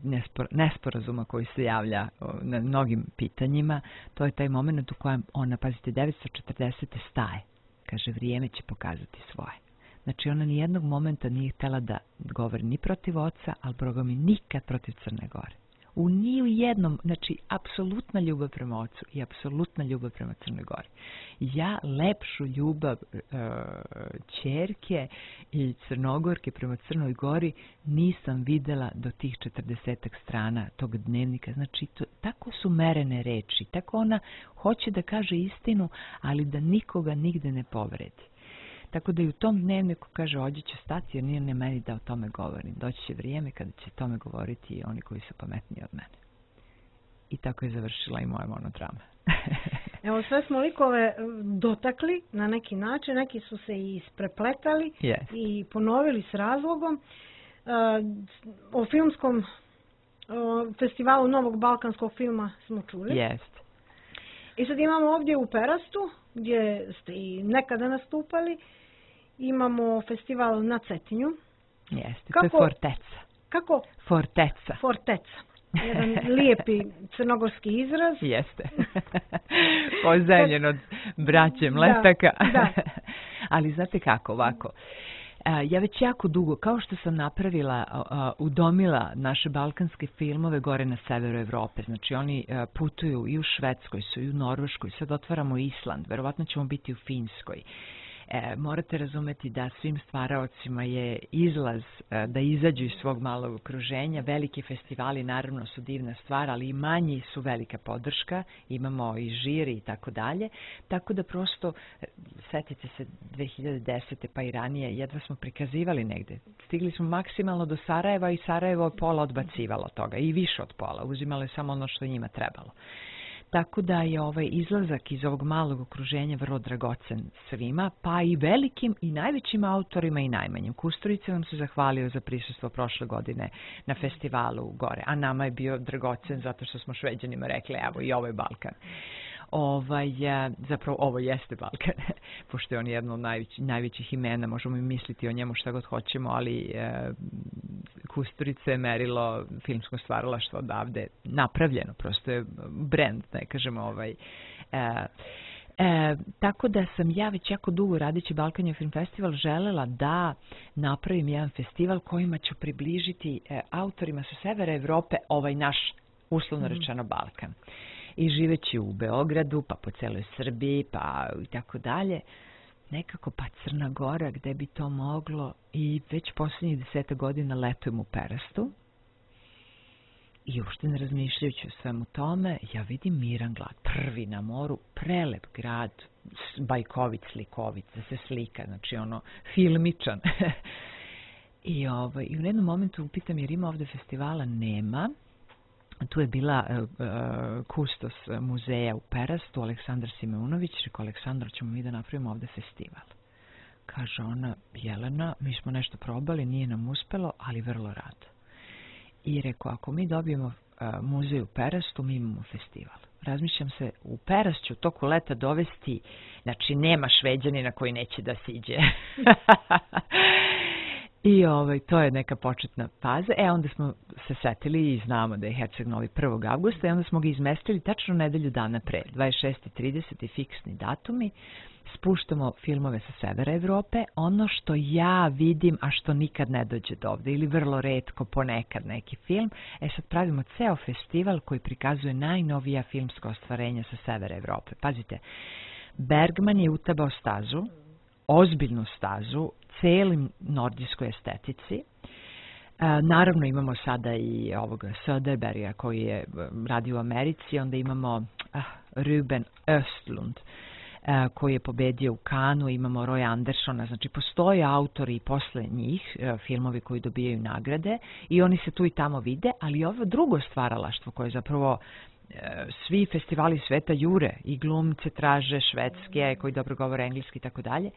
nesporazuma koji se javlja na mnogim pitanjima. To je taj moment u kojem ona, pazite, 940. staje. Kaže, vrijeme će pokazati svoje. Znači, ona nijednog momenta nije htjela da govori ni protiv oca, ali Boga mi nikad protiv Crne Gore. Ni u jednom, znači, apsolutna ljubav prema ocu i apsolutna ljubav prema Crnoj Gori. Ja lepšu ljubav ćerke i Crnogorke prema Crnoj Gori nisam videla do tih 40 strana tog dnevnika. Znači, tako su merene reči, tako ona hoće da kaže istinu, ali da nikoga nigde ne povredi. Tako da i u tom dnevniku kaže, ovdje ću stati jer nije ne meni da o tome govorim. Doći će vrijeme kada će tome govoriti i oni koji su pametniji od mene. I tako je završila i moja monodrama. Evo, sve smo likove dotakli na neki način, neki su se i isprepletali i ponovili s razlogom. O filmskom festivalu Novog balkanskog filma smo čuli. Jest. I sad imamo ovdje u Perastu, gdje ste i nekada nastupali, imamo festival na Cetinju. Jeste, to je Forteca. Kako? Forteca. Forteca. Jedan lijepi crnogorski izraz. Jeste. Pozajemljen od braće Mletaka. Da. Ali znate kako, ovako. Ja već jako dugo, kao što sam napravila, udomila naše balkanske filmove gore na severu Evrope. Znači oni putuju i u Švedskoj, su i u Norveškoj, sad otvaramo Island, verovatno ćemo biti u Finskoj. Morate razumeti da svim stvaraocima je izlaz da izađu iz svog malog okruženja. Veliki festivali naravno su divna stvar, ali i manji su velika podrška. Imamo i žiri i tako dalje. Tako da prosto, setite se 2010. pa i ranije, jedva smo prikazivali negde. Stigli smo maksimalno do Sarajeva i Sarajevo je pola odbacivalo toga i više od pola. Uzimalo je samo ono što je njima trebalo. Tako da je ovaj izlazak iz ovog malog okruženja vrlo dragocen svima, pa i velikim i najvećim autorima i najmanjim. Kusturica vam se zahvalio za prisustvo prošle godine na festivalu gore, a nama je bio dragocen zato što smo Šveđanima rekli, evo i ovo je Balkan. Zapravo ovo jeste Balkan, pošto je on jedno od najvećih imena, možemo i misliti o njemu šta god hoćemo, ali Kusturica je merilo filmskog stvaralaštva odavde napravljeno, prosto je brand, ne kažemo tako da sam ja već jako dugo radeći Balkan Film Festival želela da napravim jedan festival kojima ću približiti autorima sa severa Evrope ovaj naš uslovno rečeno Balkan. I živeći u Beogradu, pa po celoj Srbiji, pa i tako dalje, nekako pa Crna Gora, gde bi to moglo, i već posljednjih 10 godina letujem u Perastu i uopšte ne razmišljajući o svemu tome, ja vidim miran grad, prvi na moru, prelep grad, bajkovit, slikovit, da se slika, znači ono, filmičan. I u jednom momentu upitam, jer ima ovde festivala, nema. Tu je bila kustos muzeja u Perastu, Aleksandar Simeunović, rekao, Aleksandar, ćemo mi da napravimo ovde festival. Kaže ona, Jelena, mi smo nešto probali, nije nam uspelo, ali vrlo rado. I rekao, ako mi dobijemo muzej u Perastu, mi imamo festival. Razmišljam se, u Perast ću toku leta dovesti, znači nema Šveđanina koji neće da siđe. I to je neka početna faza. Onda smo se setili i znamo da je Herceg Novi 1. avgusta i onda smo ga izmestili tačno nedelju dana pre, 26. i 30. fiksni datumi. Spuštamo filmove sa severa Evrope, ono što ja vidim, a što nikad ne dođe do ovde, ili vrlo retko ponekad neki film. Sad pravimo ceo festival koji prikazuje najnovija filmska ostvarenja sa severa Evrope. Pazite, Bergman je utabao stazu, ozbiljnu stazu, celim nordijskoj estetici. Naravno imamo sada i ovog Söderberga koji je radio u Americi, onda imamo Ruben Östlund koji je pobedio u Cannesu, imamo Roy Andersona, znači postoje autori i posle njih, filmovi koji dobijaju nagrade i oni se tu i tamo vide, ali ovo drugo stvaralaštvo koje zapravo svi festivali sveta jure i glumce traže švedske koji dobro govore engleski i tako dalje.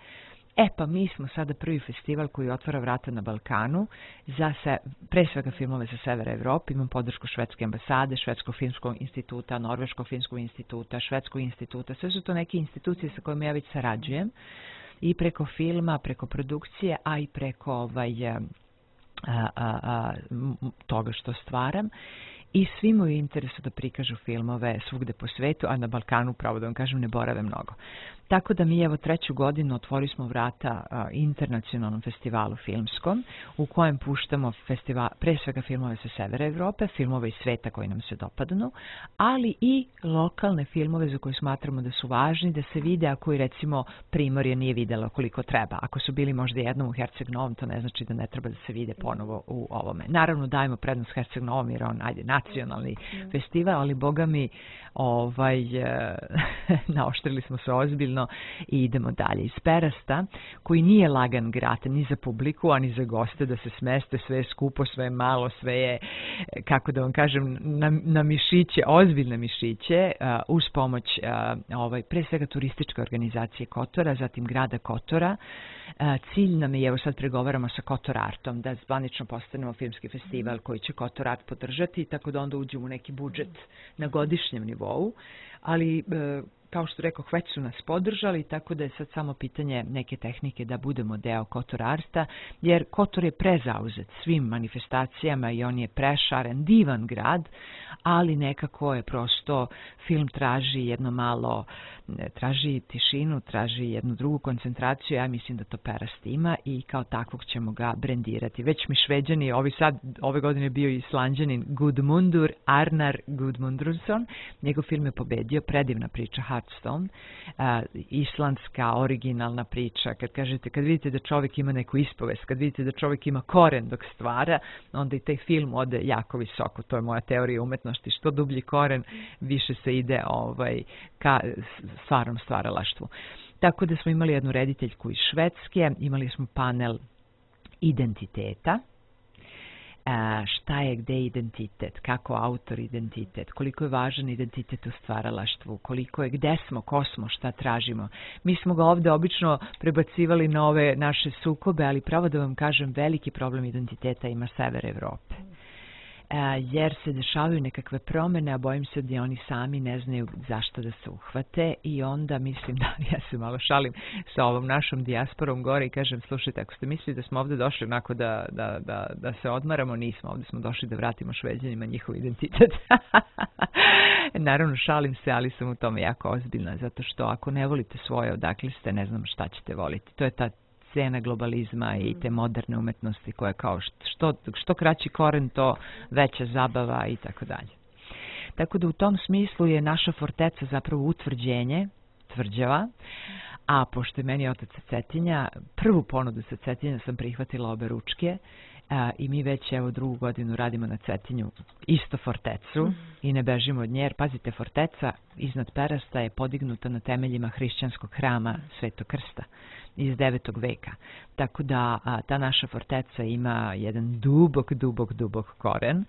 Pa mi smo sada prvi festival koji otvara vrata na Balkanu za pre svega filmove sa severa Evrope. Imam podršku švedske ambasade, Švedskog filmskog instituta, Norveškog filmskog instituta, Švedskog instituta. Sve su to neke institucije sa kojima ja već sarađujem i preko filma, preko produkcije, a i preko toga što stvaram. I svi imaju interesu da prikažu filmove svugde po svetu, a na Balkanu, pravo da vam kažem, ne borave mnogo. Tako da mi evo 3. godinu otvorili smo vrata internacionalnom festivalu filmskom u kojem puštamo pre svega filmove sa severa Evrope, filmove iz sveta koji nam se dopadnu, ali i lokalne filmove za koje smatramo da su važni, da se vide, a koji recimo Primorje nije videlo koliko treba. Ako su bili možda jednom u Herceg Novom, to ne znači da ne treba da se vide ponovo u ovome. Naravno dajemo prednost Herceg Novom jer on nacionalni festival, ali boga mi naoštrili smo se ozbiljno i idemo dalje. Iz Perasta, koji nije lagan grad ni za publiku, ani za goste da se smeste, sve je skupo, sve je malo, sve je, kako da vam kažem, na mišiće, ozbiljne mišiće, uz pomoć pre svega turističke organizacije Kotora, zatim grada Kotora. Cilj nam je, evo sad pregovaramo sa Kotor Artom, da zvanično postanemo filmski festival koji će Kotor Art podržati, tako da onda uđemo u neki budžet na godišnjem nivou, ali kao što rekao, već su nas podržali, tako da je sad samo pitanje neke tehnike da budemo deo Kotor Arta, jer Kotor je prezauzet svim manifestacijama i on je prešaren, divan grad, ali nekako je prosto, film traži jedno malo, traži tišinu, traži jednu drugu koncentraciju, ja mislim da to Perast ima i kao takvog ćemo ga brendirati. Već mi Šveđani, ove godine bio i Islanđanin Gudmundur Arnar Gudmundursson, njegov film je pobedio, predivna priča Hearthstone, islandska originalna priča, kad vidite da čovjek ima neku ispovest, kad vidite da čovjek ima koren dok stvara, onda i taj film ode jako visoko, to je moja teorija umetnosti, što dublji koren, više se ide ka stvarnom stvaralaštvu. Tako da smo imali jednu rediteljku iz Švedske, imali smo panel identiteta, šta je gde identitet, kako autor identitet, koliko je važan identitet u stvaralaštvu, koliko je gde smo, ko smo, šta tražimo. Mi smo ga ovde obično prebacivali na ove naše sukobe, ali pravo da vam kažem, veliki problem identiteta ima sever Evrope. Jer se dešavaju nekakve promene, a bojim se da oni sami ne znaju zašto da se uhvate i onda mislim da, ja se malo šalim sa ovom našom dijasporom gore i kažem, slušajte, ako ste mislili da smo ovde došli onako da se odmaramo, nismo, ovde smo došli da vratimo Šveđanima njihov identitet. Naravno, šalim se, ali sam u tome jako ozbiljna, zato što ako ne volite svoje, odakle ste, ne znam šta ćete voliti. To je ta cena globalizma i te moderne umetnosti koja kao što kraći koren, to veća zabava i tako dalje. Tako da u tom smislu je naša forteca zapravo utvrđenje, tvrđava, a pošto je meni otac sa Cetinja, prvu ponudu sa Cetinja sam prihvatila obe ručke i mi već evo 2. godinu radimo na Cetinju isto fortecu i ne bežimo od nje, jer pazite, forteca iznad Perasta je podignuta na temeljima hrišćanskog hrama Svetog Krsta iz 9. veka. Tako da ta naša forteca ima jedan dubok koren,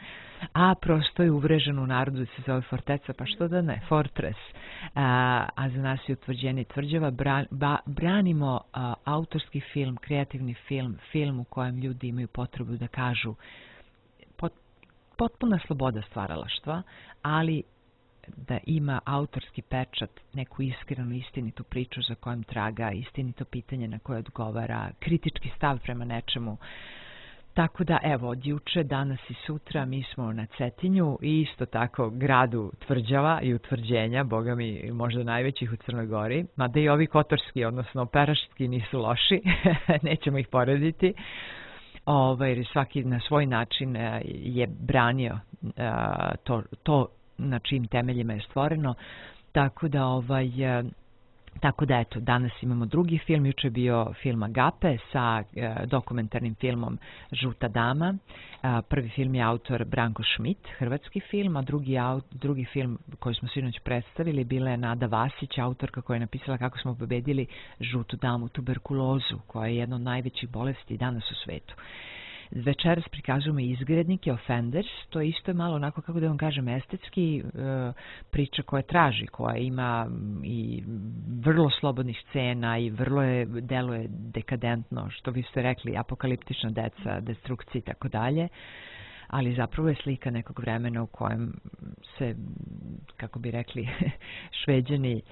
a prosto je uvrežen u narodu da se zove forteca, pa što da ne, fortress. A za nas je utvrđenje tvrđava, branimo autorski film, kreativni film u kojem ljudi imaju potrebu da kažu potpuna sloboda stvaralaštva, ali da ima autorski pečat, neku iskrenu, istinitu priču za kojom traga, istinito pitanje na koje odgovara, kritički stav prema nečemu. Tako da, evo, od juče, danas i sutra mi smo na Cetinju i isto tako gradu tvrđava i utvrđenja, boga mi možda najvećih u Crnoj Gori, mada i ovi kotorski, odnosno peraški nisu loši, nećemo ih porediti. Jer svaki na svoj način je branio to na čijim temeljima je stvoreno, tako da Tako da eto, danas imamo drugi film, juče je bio film Agape sa dokumentarnim filmom Žuta dama. Prvi film je autor Branko Schmidt, hrvatski film, a drugi film koji smo sinoć predstavili bila je Nada Vasić, autorka koja je napisala Kako smo pobedili žutu damu, tuberkulozu, koja je jedna od najvećih bolesti danas u svetu. Večeras prikazujemo Izgrednike, Offenders, to je isto malo onako, kako da vam kažem, estetski priča koja traži, koja ima i vrlo slobodnih scena i vrlo deluje dekadentno, što vi ste rekli, apokaliptična deca, destrukcija i tako dalje, ali zapravo je slika nekog vremena u kojem se, kako bi rekli, Šveđani,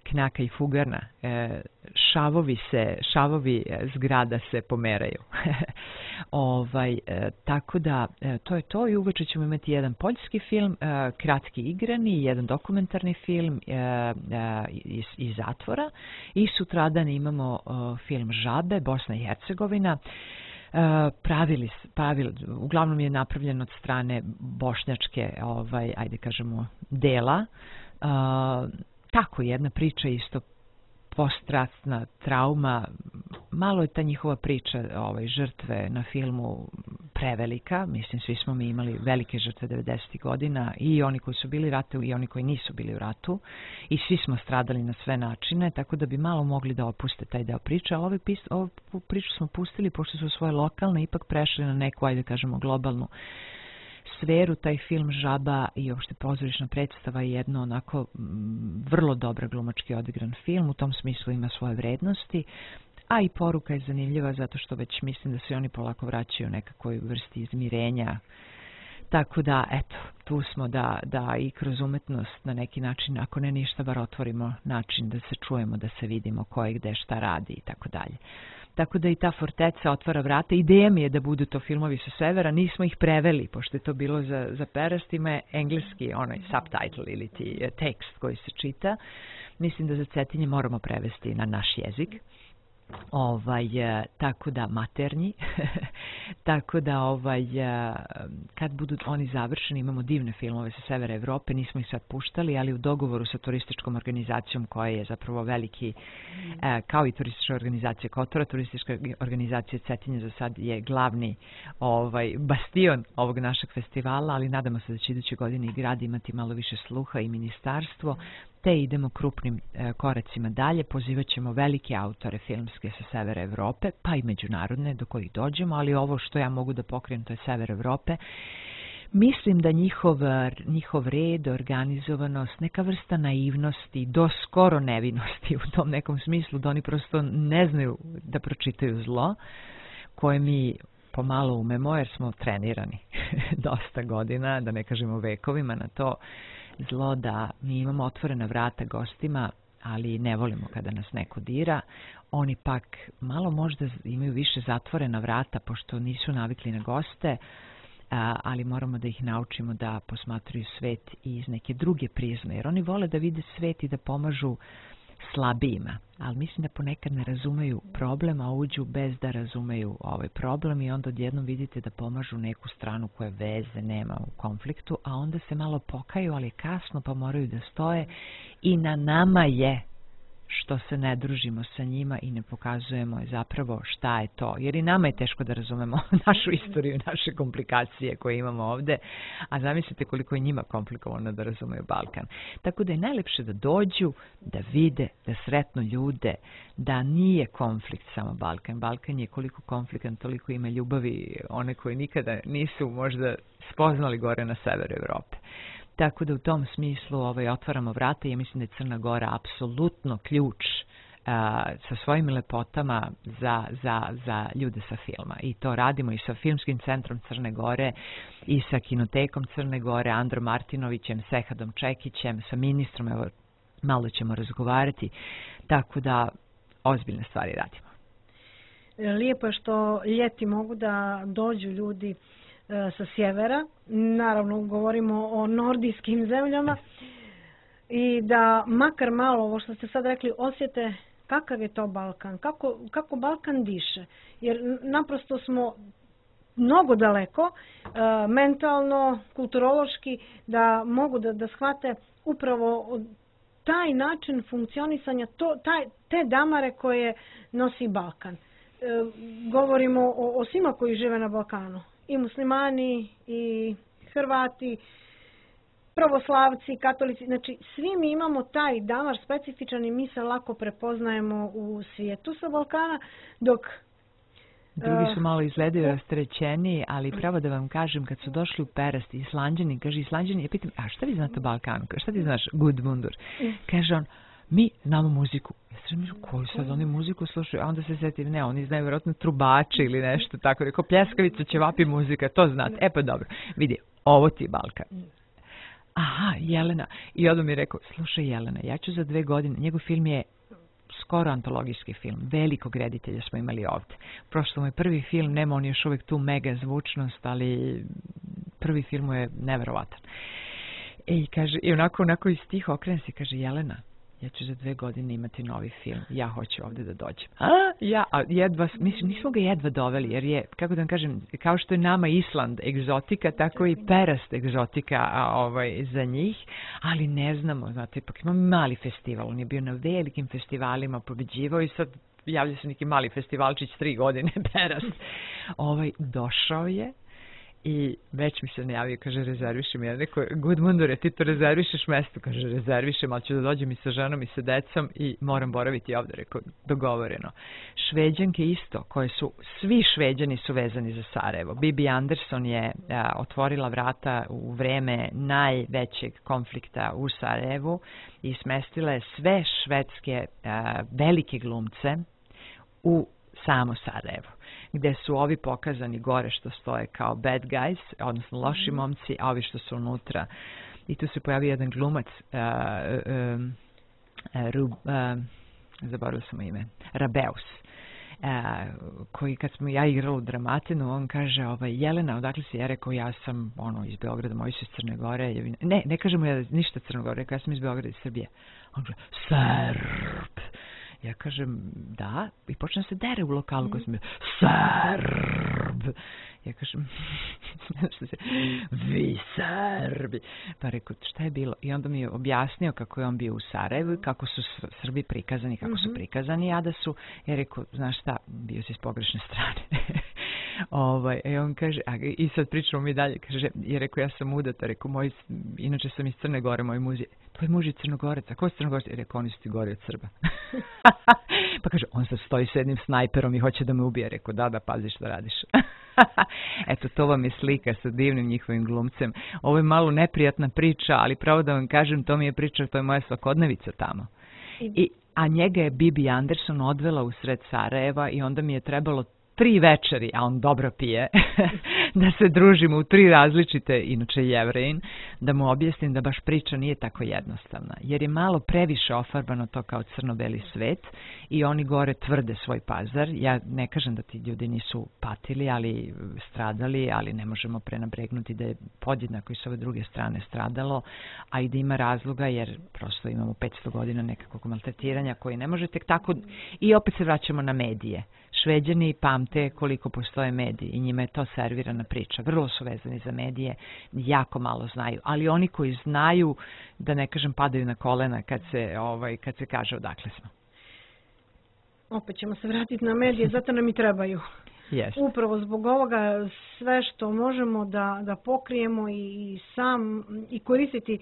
Knjaka i Fugarna, šavovi zgrada se pomeraju. Tako da, to je to i uveče ćemo imati jedan poljski film, kratki igrani, jedan dokumentarni film iz zatvora i sutradan imamo film Žabe, Bosna i Hercegovina. Uglavnom je napravljen od strane bošnjačke, ajde kažemo, dela. Tako jedna priča isto postratna trauma, malo je ta njihova priča žrtve na filmu prevelika, mislim svi smo mi imali velike žrtve 90. godina i oni koji su bili u ratu i oni koji nisu bili u ratu i svi smo stradali na sve načine, tako da bi malo mogli da opuste taj deo priče, ali ovu priču smo pustili pošto su svoje lokalne ipak prešli na neku, ajde kažemo, globalnu sferu. Taj film Žaba i uopšte pozorišna predstava je jedno onako vrlo dobro glumački odigran film, u tom smislu ima svoje vrednosti, a i poruka je zanimljiva zato što već mislim da se oni polako vraćaju nekakvoj vrsti izmirenja. Tako da, eto, tu smo da i kroz umetnost na neki način, ako ne ništa, bar otvorimo način da se čujemo, da se vidimo ko je gde šta radi i tako dalje. Tako da i ta Forteca otvara vrata. Ideja mi je da budu to filmovi sa severa, nismo ih preveli, pošto je to bilo za perastima, je engleski onaj subtitle ili ti tekst koji se čita. Mislim da za Cetinje moramo prevesti na naš jezik. Tako da maternji, tako da kad budu oni završeni, imamo divne filmove sa severa Evrope, nismo ih sad puštali, ali u dogovoru sa turističkom organizacijom koja je zapravo veliki, kao i turistička organizacija Kotora, turistička organizacija Cetinje za sad je glavni bastion ovog našeg festivala, ali nadamo se da će iduće godine i grad imati malo više sluha i ministarstvo, te idemo krupnim koracima dalje, pozivat ćemo velike autore filmske sa severa Evrope, pa i međunarodne do kojih dođemo, ali ovo što ja mogu da pokrijem to je sever Evrope. Mislim da njihov red, organizovanost, neka vrsta naivnosti, do skoro nevinosti u tom nekom smislu, da oni prosto ne znaju da pročitaju zlo, koje mi pomalo umemo jer smo trenirani dosta godina, da ne kažemo vekovima na to zlo, da mi imamo otvorena vrata gostima, ali ne volimo kada nas neko dira. Oni pak malo možda imaju više zatvorena vrata, pošto nisu navikli na goste, ali moramo da ih naučimo da posmatraju svet iz neke druge prizme, jer oni vole da vide svet i da pomažu slabijima, ali mislim da ponekad ne razumeju problem, a uđu bez da razumeju ovaj problem i onda odjednom vidite da pomažu neku stranu koja veze nema u konfliktu, a onda se malo pokaju, ali kasno pa moraju da stoje i na nama je što se ne družimo sa njima i ne pokazujemo zapravo šta je to. Jer i nama je teško da razumemo našu istoriju, naše komplikacije koje imamo ovde, a zamislite koliko je njima komplikovano da razumeju Balkan. Tako da je najlepše da dođu, da vide, da sretnu ljude, da nije konflikt samo Balkan. Balkan je koliko konfliktan, toliko ima ljubavi, one koje nikada nisu možda spoznali gore na severu Evrope. Tako da u tom smislu otvaramo vrata i ja mislim da je Crna Gora apsolutno ključ sa svojim lepotama za ljude sa filma. I to radimo i sa Filmskim centrom Crne Gore i sa Kinotekom Crne Gore, Androm Martinovićem, Sehadom Čekićem, sa ministrom, evo malo ćemo razgovarati, tako da ozbiljne stvari radimo. Lijepo je što ljeti mogu da dođu ljudi sa sjevera, naravno govorimo o nordijskim zemljama i da makar malo, ovo što ste sad rekli, osjete kakav je to Balkan, kako Balkan diše, jer naprosto smo mnogo daleko, mentalno, kulturološki, da mogu da shvate upravo taj način funkcionisanja, te damare koje nosi Balkan. Govorimo o svima koji žive na Balkanu. I muslimani, i Hrvati, pravoslavci, katolici. Znači, svi mi imamo taj damar specifičan i mi se lako prepoznajemo u svijetu sa Balkana, dok drugi su malo izgledaju rasterećeniji, ali pravo da vam kažem, kad su došli u Perast, Islanđani, kaže Islanđani, ja pitam, a šta vi znate o Balkanu? Šta ti znaš, Gudmundur? Kaže on, mi znamo muziku. Ja se mislim, koju sad oni muziku slušaju? A onda se setim, ne, oni znaju vjerojatno trubače ili nešto tako. Rekao, pljeskavica, ćevapi, muzika, to znate. E pa dobro, vidi, ovo ti je Balkan. Aha, Jelena. I onda mi je rekao, slušaj Jelena, ja ću za 2 godine, njegov film je skoro antologijski film, velikog reditelja smo imali ovdje. Prošlo mu je prvi film, nema on još uvijek tu mega zvučnost, ali prvi film mu je neverovatan. I kaže, i onako iz tih okrene se kaže, Jelena, ja ću za 2 godine imati novi film, ja hoću ovdje da dođem. A jedva, mislim, nismo ga jedva doveli, jer je, kako da vam kažem, kao što je nama Island egzotika, tako i Perast egzotika za njih, ali ne znamo, znate, ipak ima mali festival, on je bio na velikim festivalima, pobeđivao i sad javlja se neki mali festivalčić 3 godine, Perast. Došao je, i već mi se najavio, kaže, rezervišem. Ja rekao, Gudmundure, ti to rezervišeš mesto? Kaže, rezervišem, ali ću da dođem i sa ženom i sa decom i moram boraviti ovdje. Rekao, dogovoreno. Šveđanke isto, koje su, svi Šveđani su vezani za Sarajevo. Bibi Anderson je otvorila vrata u vreme najvećeg konflikta u Sarajevu i smestila je sve švedske velike glumce u samo Sarajevo, gde su ovi pokazani gore što stoje kao bad guys, odnosno loši momci, a ovi što su unutra. I tu se pojavio jedan glumac, zaboravila sam ime, Rabeus, koji kad smo ja igrala u Dramatinu, on kaže, Jelena, odakle si? Ja rekao, ja sam iz Beograda, moji su iz Crne Gore. Ne kažemo ja ništa Crne Gore, rekao, ja sam iz Beograda, iz Srbije. On kaže, Srb. Ja kažem, da, i počne se dere u lokalu koji sam bio, Srb. Ja kažem, vi Srbi. Pa rekao, šta je bilo? I onda mi je objasnio kako je on bio u Sarajevu i kako su Srbi prikazani, kako su prikazani, a da su, ja rekao, znaš šta, bio si s pogrešne strane. I on kaže, i sad pričamo mi dalje, kaže, je rekao, ja sam udata, rekao, inače sam iz Crne Gore, moj muž je, tvoj muž je Crnogorac, a ko je Crnogorac? Rekao, oni su ti gori od Srba. Pa kaže, on sad stoji s jednim snajperom i hoće da me ubije. Rekao, da, pazi što radiš. Eto, to vam je slika sa divnim njihovim glumcem. Ovo je malo neprijatna priča, ali pravo da vam kažem, to mi je priča, to je moja svakodnevica tamo. A njega je Bibi Anderson odvela u sred Sarajeva i onda mi je trebalo 3 večeri, a on dobro pije, da se družimo u 3 različite, inače Jevrejin, da mu objasnim da baš priča nije tako jednostavna. Jer je malo previše ofarbano to kao crno-beli svet i oni gore tvrde svoj pazar. Ja ne kažem da ti ljudi nisu patili, ali stradali, ali ne možemo prenabregnuti da je podjednako i s ove druge strane stradalo, a i da ima razloga jer prosto imamo 500 godina nekakvog maltretiranja koji ne može tek tako. I opet se vraćamo na medije. Šveđani pamte koliko postoje mediji i njima je to servirana priča. Vrlo su vezani za medije, jako malo znaju. Ali oni koji znaju, da ne kažem, padaju na kolena kad se kaže odakle smo. Opet ćemo se vratiti na medije, zato nam i trebaju. Yes. Upravo zbog ovoga sve što možemo da pokrijemo i koristiti.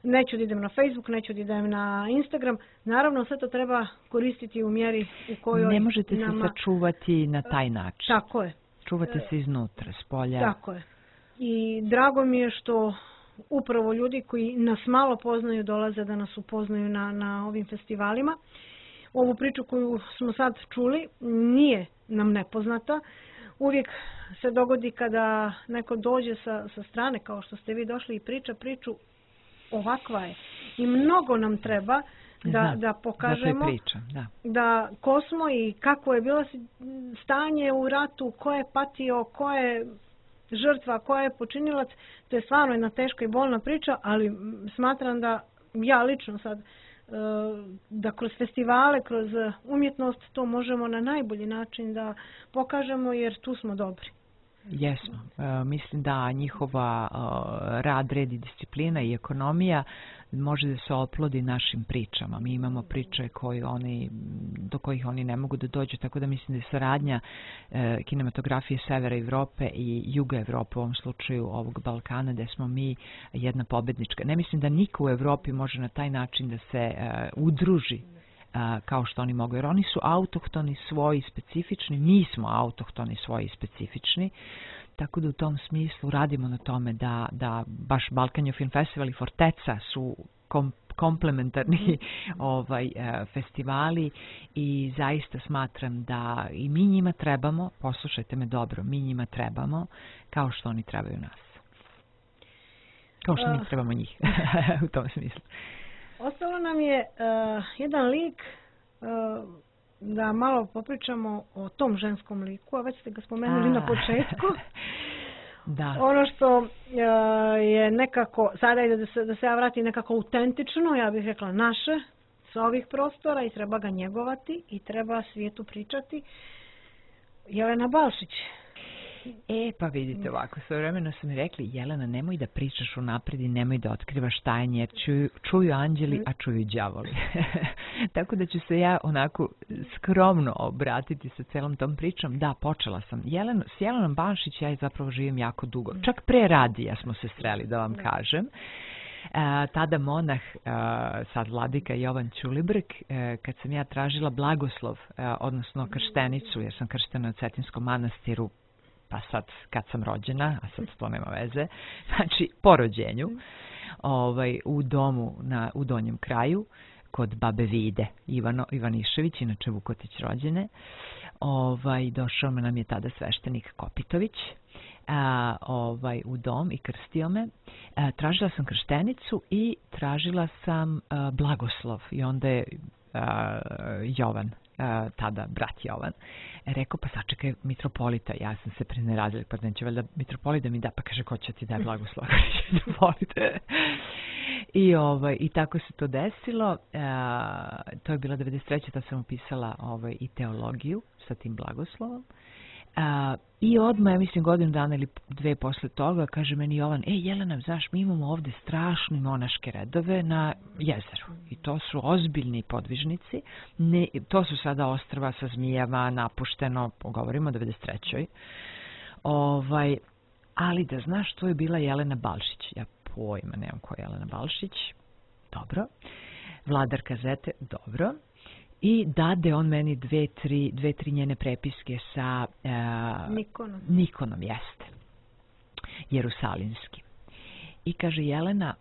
Neću da idem na Facebook, neću da idem na Instagram. Naravno, sve to treba koristiti u mjeri u kojoj ne možete se sačuvati na taj način. Tako je. Čuvate se iznutra, s polja. Tako je. I drago mi je što upravo ljudi koji nas malo poznaju dolaze da nas upoznaju na ovim festivalima. Ovu priču koju smo sad čuli nije nam nepoznata. Uvijek se dogodi kada neko dođe sa strane, kao što ste vi došli i priča priču, ovakva je. I mnogo nam treba da pokažemo da ko smo i kako je bilo stanje u ratu, ko je patio, ko je žrtva, ko je počinilac. To je stvarno jedna teška i bolna priča, ali smatram da ja lično sad da kroz festivale, kroz umjetnost to možemo na najbolji način da pokažemo jer tu smo dobri. Jesmo. Mislim da njihova rad, red i disciplina i ekonomija može da se oplodi našim pričama. Mi imamo priče do kojih oni ne mogu da dođu, tako da mislim da je saradnja kinematografije Severa Evrope i Juga Evrope, u ovom slučaju ovog Balkana, gde smo mi jedna pobednička. Ne mislim da niko u Evropi može na taj način da se udruži kao što oni mogu, jer oni su autohtoni, svoji, specifični, mi smo autohtoni, svoji, specifični, tako da u tom smislu radimo na tome da baš Balkan Film Festival i Forteca su komplementarni festivali i zaista smatram da i mi njima trebamo, poslušajte me dobro, mi njima trebamo kao što oni trebaju nas. Kao što mi trebamo njih u tom smislu. Ostalo nam je jedan lik da malo popričamo o tom ženskom liku, a već ste ga spomenuli na početku. Da. Ono što je nekako, sada ide da se ja vratim nekako autentično, ja bih rekla naše, sa ovih prostora i treba ga njegovati i treba svijetu pričati. Jelena Balšić. Pa vidite ovako, svojevremeno su mi rekli, Jelena, nemoj da pričaš unapred i nemoj da otkrivaš tajnje, jer čuju anđeli, a čuju đavoli. Tako da ću se ja onako skromno obratiti sa celom tom pričom. Da, počela sam. S Jelenom Balšić ja je zapravo živim jako dugo. Čak pre radija smo se sreli, da vam kažem. Tada monah, sad vladika Jovan Ćulibrk, kad sam ja tražila blagoslov, odnosno krštenicu, jer sam krštena u Cetinskom manastiru, pa sad kad sam rođena, a sad to nema veze, znači po rođenju, u domu u Donjem kraju, kod babe Vide Ivanišević, inače Vukotić rođene, došao nam je tada sveštenik Kopitović u dom i krstio me. Tražila sam krštenicu i tražila sam blagoslov i onda je Jovan, tada brat Jovan, rekao, pa sačekaj mitropolita, ja sam se preneradila, pa neće valjda mitropolit da mi da, pa kaže, ko će ti daj blagoslov, mitropolite. I tako se to desilo, to je bila 93. da sam upisala i teologiju sa tim blagoslovom. I odmah, ja mislim, godinu dana ili dve posle toga, kaže meni Jovan, Jelena, znaš, mi imamo ovde strašne monaške redove na jezeru. I to su ozbiljni podvižnici. To su sada ostrva sa zmijama, napušteno, govorimo o 93. Ali da znaš, to je bila Jelena Balšić. Ja pojma nemam ko je Jelena Balšić. Dobro. Vladar kazete, dobro. I dade on meni dve, tri njene prepiske sa Nikonom, jeste. Jerusalinskim. I kaže, Jelena,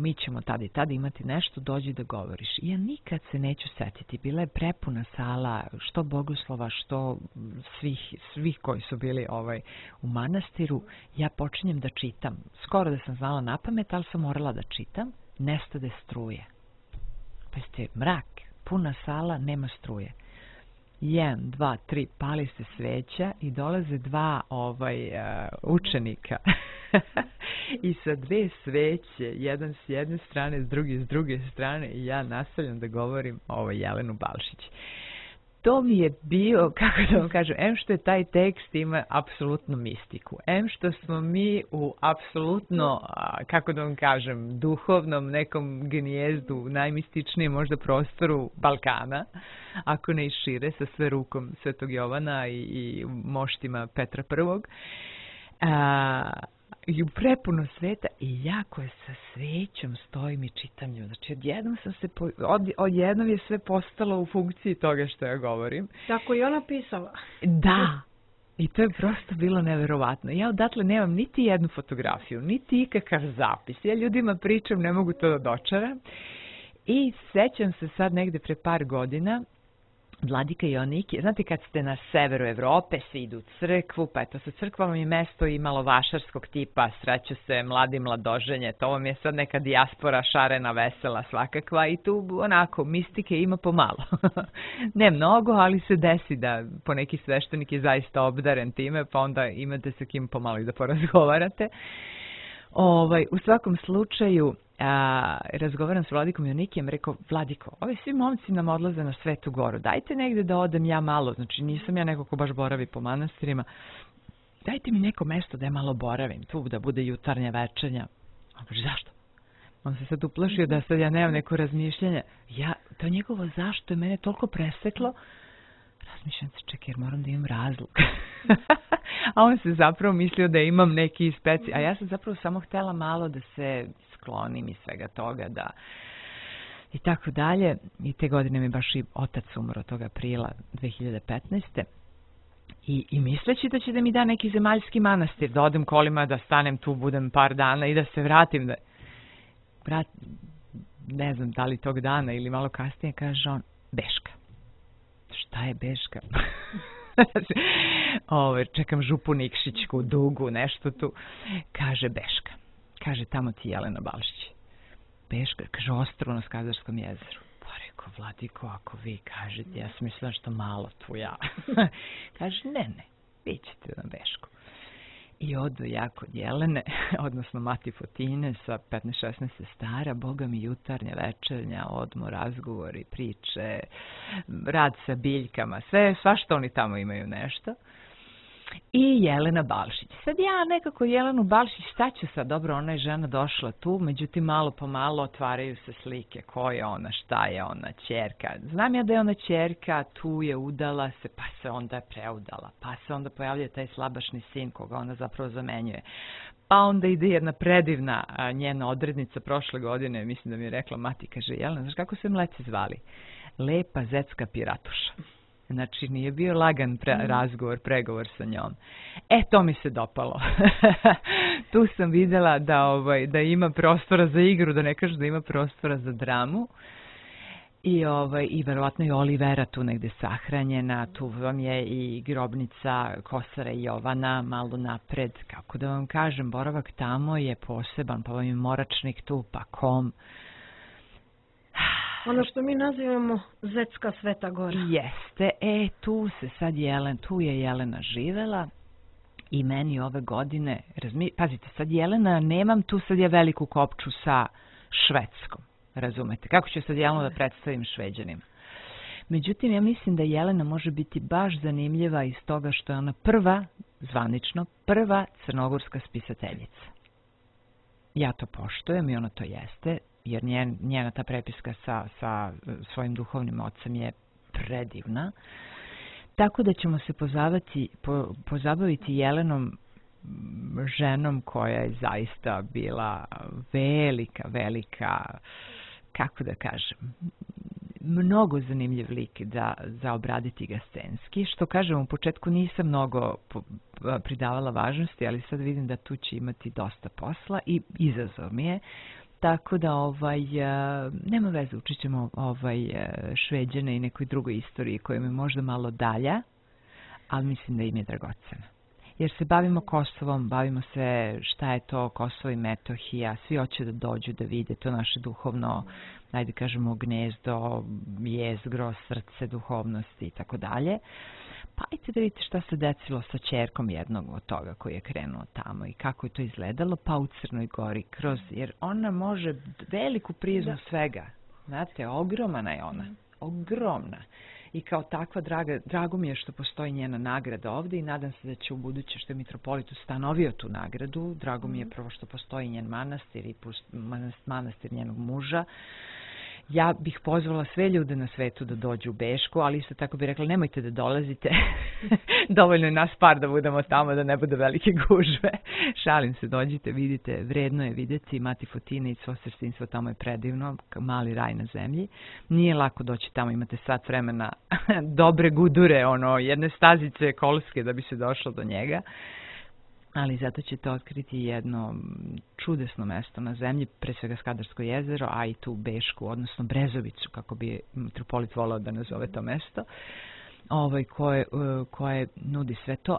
mi ćemo tada i tada imati nešto, dođi da govoriš. I ja nikad se neću setiti. Bila je prepuna sala, što bogoslova, što svih koji su bili u manastiru. Ja počinjem da čitam. Skoro da sam znala na pamet, ali sam morala da čitam. Nestade struje. Pa ste mrak. Puna sala, nema struje. 1, 2, 3, pali se sveća i dolaze dva učenika. I sa dve sveće, jedan s jedne strane, s druge strane, i ja nastavljam da govorim Jelenu Balšić. To mi je bio, kako da vam kažem, što je taj tekst ima apsolutnu mistiku. Što smo mi u apsolutno, kako da vam kažem, duhovnom nekom gnijezdu, najmističnijem možda prostoru Balkana, ako ne i šire, sa sve rukom Svetog Jovana i moštima Petra I. I u prepuno sveta i ja koja sa svećom stojim i čitam nju. Znači, odjednom je sve postalo u funkciji toga što ja govorim. Tako i ona pisala. Da. I to je prosto bilo neverovatno. Ja odatle nemam niti jednu fotografiju, niti ikakav zapis. Ja ljudima pričam, ne mogu to da dočaram. I sećam se sad negde pre par godina, Vladika Joannikije, znate kad ste na severu Evrope, svi idu u crkvu, pa eto sa crkvom je mesto i malo vašarskog tipa, sreću se mladi mladoženje, to vam je sad neka dijaspora šarena, vesela svakakva i tu onako mistike ima pomalo. Ne mnogo, ali se desi da poneki sveštenik je zaista obdaren time, pa onda imate sa kim pomalo i da porazgovarate. U svakom slučaju, razgovaram s Vladikom Joannikijem, rekao, Vladiko, ovi svi momci nam odlaze na Svetu Goru, dajte negde da odem ja malo, znači nisam ja neko ko baš boravi po manastirima, dajte mi neko mesto da ja malo boravim, tu da bude jutarnja, večernja. On kaže, zašto? On se sad uplašio da sad ja nemam neko razmišljanje. To njegovo zašto je mene toliko preseklo. Razmišljam se, čekaj, jer moram da imam razlog. A on se zapravo mislio da imam neki a ja sam zapravo samo htjela malo da se sklonim iz svega toga, da i tako dalje. I te godine mi baš i otac umro tog aprila 2015. I misleći da će da mi da neki zemaljski manastir, da odem kolima, da stanem tu, budem par dana i da se vratim. Ne znam da li tog dana ili malo kasnije, kaže on, Beška. Šta je Beška? Čekam župu Nikšićku, dugu, nešto tu. Kaže Beška. Kaže, tamo ti Jelena Balšić. Beška, kaže, ostrvo na Skadarskom jezeru. Pa rekao, Vladiko, ako vi kažete, ja sam mislila što malo tu ja. Kaže, ne, vi ćete na Bešku. I odu ja kod Jelene, odnosno Mati Fotine sa 15-16 stara, boga mi jutarnja, večernja, odmor, razgovori, priče, rad sa biljkama, svašta oni tamo imaju nešto. I Jelena Balšić. Sad ja nekako Jelenu Balšić, šta ću sad? Dobro, ona je žena došla tu, međutim malo po malo otvaraju se slike. Ko je ona, šta je ona, ćerka. Znam ja da je ona ćerka, tu je udala se, pa se onda je preudala. Pa se onda pojavljuje taj slabašni sin koga ona zapravo zamenjuje. Pa onda ide jedna predivna njena odrednica prošle godine, mislim da mi je rekla Mati, kaže, Jelena, znaš kako se mleci zvali? Lepa Zecka Piratuša. Znači, nije bio lagan pregovor sa njom. To mi se dopalo. Tu sam vidjela da ima prostora za igru, da ne kažu da ima prostora za dramu. I verovatno je Olivera tu negde sahranjena, tu vam je i grobnica Kosara i Jovana malo napred. Kako da vam kažem, boravak tamo je poseban, pa vam je Moračnik tu, pa Kom. Ono što mi nazivamo Zetska Sveta Gora. Jeste, tu je Jelena živela i meni ove godine, pazite, sad Jelena, nemam tu sad je veliku kopču sa Švedskom, razumete, kako ću sad Jelenu da predstavim Šveđanima. Međutim, ja mislim da Jelena može biti baš zanimljiva iz toga što je ona zvanično prva crnogorska spisateljica. Ja to poštujem i ona to jeste, jer njena ta prepiska sa svojim duhovnim ocem je predivna. Tako da ćemo se pozabaviti Jelenom, ženom koja je zaista bila velika, kako da kažem, mnogo zanimljiv lik za obraditi ga scenski. Što kažem, u početku nisam mnogo pridavala važnosti, ali sad vidim da tu će imati dosta posla i izazov mi je. Tako da nema veze, učit ćemo Šveđane i nekoj drugoj istoriji koja mi je možda malo dalja, ali mislim da im je dragocena. Jer se bavimo Kosovom, bavimo se šta je to Kosovo i Metohija, svi hoće da dođu da vide to naše duhovno, ajde kažemo gnezdo, jezgro, srce duhovnosti i tako dalje. Pa ajte da vidite šta se desilo sa ćerkom jednog od toga koji je krenuo tamo i kako je to izgledalo, pa u Crnoj Gori, jer ona može veliku prizmu svega. Znate, ogromna je ona, ogromna. I kao takva, drago mi je što postoji njena nagrada ovdje i nadam se da će u buduće što je mitropolit ustanovio tu nagradu. Drago mi je prvo što postoji njen manastir i manastir njenog muža. Ja bih pozvala sve ljude na svetu da dođu u Bešku, ali isto tako bih rekla nemojte da dolazite. Dovoljno je nas par da budemo tamo, da ne bude velike gužve. Šalim se, dođite, vidite, vredno je vidjeti. Mati Fotine i svo sestinstvo tamo je predivno, mali raj na zemlji. Nije lako doći tamo, imate sat vremena dobre gudure, jedne stazice kolske da bi se došlo do njega. Ali zato ćete otkriti jedno čudesno mesto na zemlji, pre svega Skadarsko jezero, a i tu Bešku, odnosno Brezovicu, kako bi mitropolit volao da nazove to mesto, koje nudi sve to.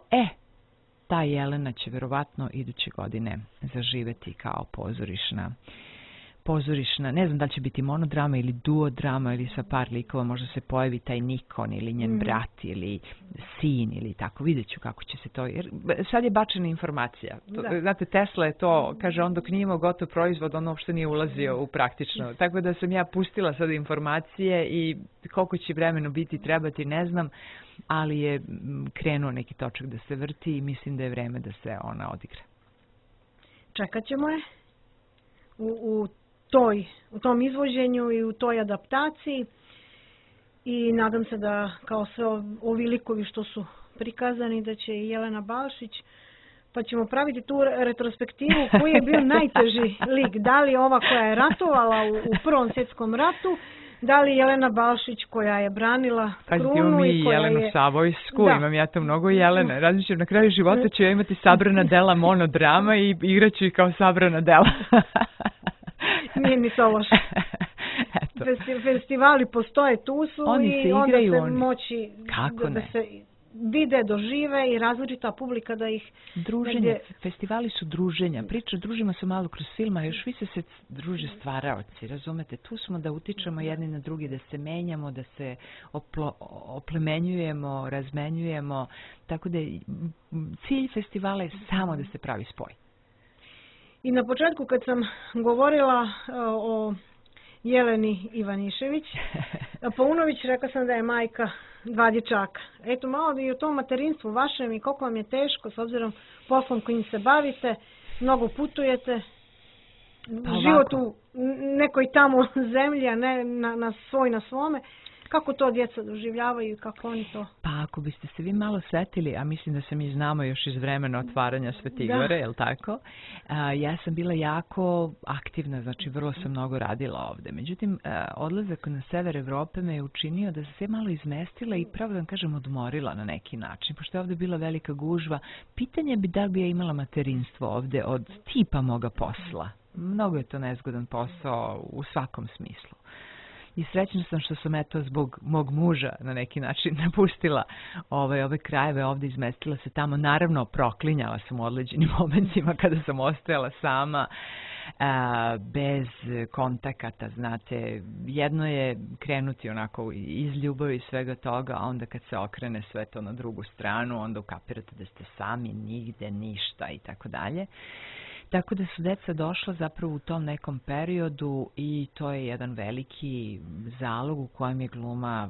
Ta Jelena će verovatno iduće godine zaživeti kao pozorišna, ne znam da li će biti monodrama ili duodrama ili sa par likova, možda se pojavi taj Nikon ili njen brat ili sin ili tako, vidjet ću kako će se to, jer sad je bačena informacija. Znate, Tesla je to, kaže on dok nije imao gotov proizvod, on uopšte nije ulazio u praktično, tako da sam ja pustila sad informacije i koliko će vremena biti trebati, ne znam, ali je krenuo neki točak da se vrti i mislim da je vreme da se ona odigra. Čekat ćemo je u tom izvođenju i u toj adaptaciji i nadam se da kao sve ovi likovi što su prikazani da će i Jelena Balšić, pa ćemo praviti tu retrospektivu koji je bio najteži lik. Da li ova koja je ratovala u Prvom svjetskom ratu, da li Jelena Balšić koja je branila krunu i koja je... Jelenu Savojsku, imam ja to mnogo Jelene. Razmišljam, na kraju života ću ja imati sabrana dela monodrama i igraću ih kao sabrana dela. Nije ni to loše. Festivali postoje, tu su i onda se moći da se vide, dožive i različita publika da ih... Druženje, festivali su druženja. Družimo se malo kroz filma, još više se druže stvaraoci, razumete? Tu smo da utičemo jedni na drugi, da se menjamo, da se oplemenjujemo, razmenjujemo. Tako da cilj festivala je samo da se pravi spoj. I na početku kad sam govorila o Jeleni Ivanišević, Paunović, rekla sam da je majka 2 dječaka. Eto malo i o tom materinstvu vašem i koliko vam je teško s obzirom poslom kojim se bavite, mnogo putujete, život u nekoj tamo zemlji, a ne na svome. Kako to djeca doživljavaju i kako oni to? Pa ako biste se vi malo setili, a mislim da se mi znamo još iz vremena otvaranja Svete Igore, je li tako? Ja sam bila jako aktivna, znači vrlo sam mnogo radila ovde. Međutim, odlazak na sever Evrope me je učinio da se malo izmestila i pravo da vam kažem odmorila na neki način. Pošto je ovde bila velika gužva, pitanje bi da li bi ja imala materinstvo ovde od tipa moga posla. Mnogo je to nezgodan posao u svakom smislu. I srećna sam što sam zbog mog muža na neki način napustila ove krajeve ovdje, izmestila se tamo. Naravno, proklinjala sam u određenim momentima kada sam ostajala sama, bez kontakata, znate. Jedno je krenuti onako iz ljubavi i svega toga, a onda kad se okrene sve to na drugu stranu, onda ukapirate da ste sami, nigde, ništa i tako dalje. Tako da su deca došla zapravo u tom nekom periodu i to je jedan veliki zalog u kojem je gluma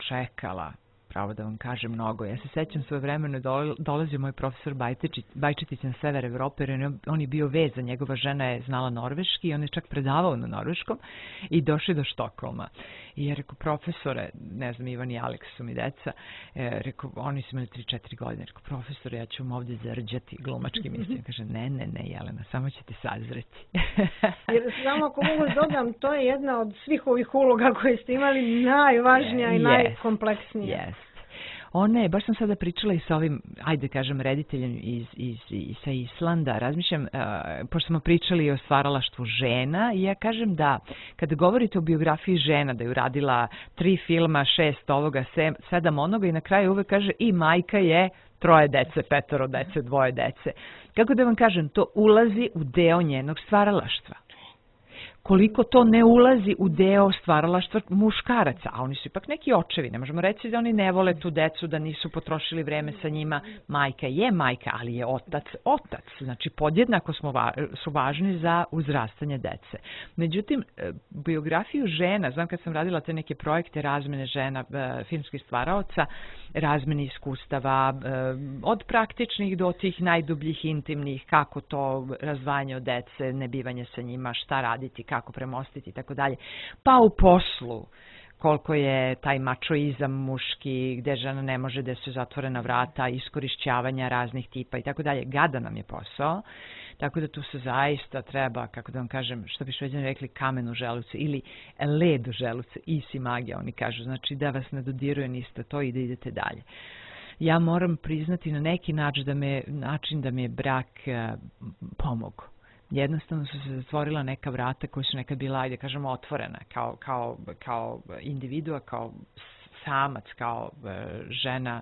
čekala, pravo da vam kažem, mnogo. Ja se sećam svoje vremeno dolazio moj profesor Bajčetić na sever Evrope, jer on je bio vezan, njegova žena je znala norveški i on je čak predavao na norveškom i došli do Štokholma. I je rekao, profesore, ne znam, Ivan i Aleks su mi deca, rekao, oni su imali 3-4 godine, rekao, profesore, ja ću vam ovdje zarđati glumački mislim. Kaže, ne, Jelena, samo ćete sazreti. Jer samo ako mogu dodam, to je jedna od svih ovih uloga koje ste imali najvažnija i najkompleksnija. Ona je, baš sam sada pričala i sa ovim, ajde kažem, rediteljem sa Islanda, razmišljam, pošto smo pričali o stvaralaštvu žena, i ja kažem da kada govorite o biografiji žena, da je uradila 3 filma, 6 ovoga, 7 onoga i na kraju uvek kaže i majka je 3 dece, 5 dece, 2 dece. Kako da vam kažem, to ulazi u deo njenog stvaralaštva. Koliko to ne ulazi u deo stvaralaštva muškaraca, a oni su ipak neki očevi, ne možemo reći da oni ne vole tu decu, da nisu potrošili vreme sa njima. Majka je majka, ali je otac, znači podjednako su važni za uzrastanje dece. Međutim, biografiju žena, znam kad sam radila te neke projekte razmene žena, filmskih stvaraoca, razmene iskustava, od praktičnih do tih najdubljih, intimnih, kako to razdvajanje od dece, nebivanje sa njima, šta raditi, kako premostiti i tako dalje. Pa u poslu, koliko je taj mačoizam muški, gde žena ne može, da su zatvorena vrata, iskorišćavanja raznih tipa i tako dalje. Gadan nam je posao, tako da tu se zaista treba, kako da vam kažem, što bi Šveđani rekli, kamen u želucu ili led u želucu, isi magija, oni kažu, znači da vas ne dodiruje niste to i da idete dalje. Ja moram priznati na neki način da mi je brak pomogao. Jednostavno su se zatvorila neka vrata koja su nekad bila, ajde kažemo, otvorena kao individua, kao samac, kao žena.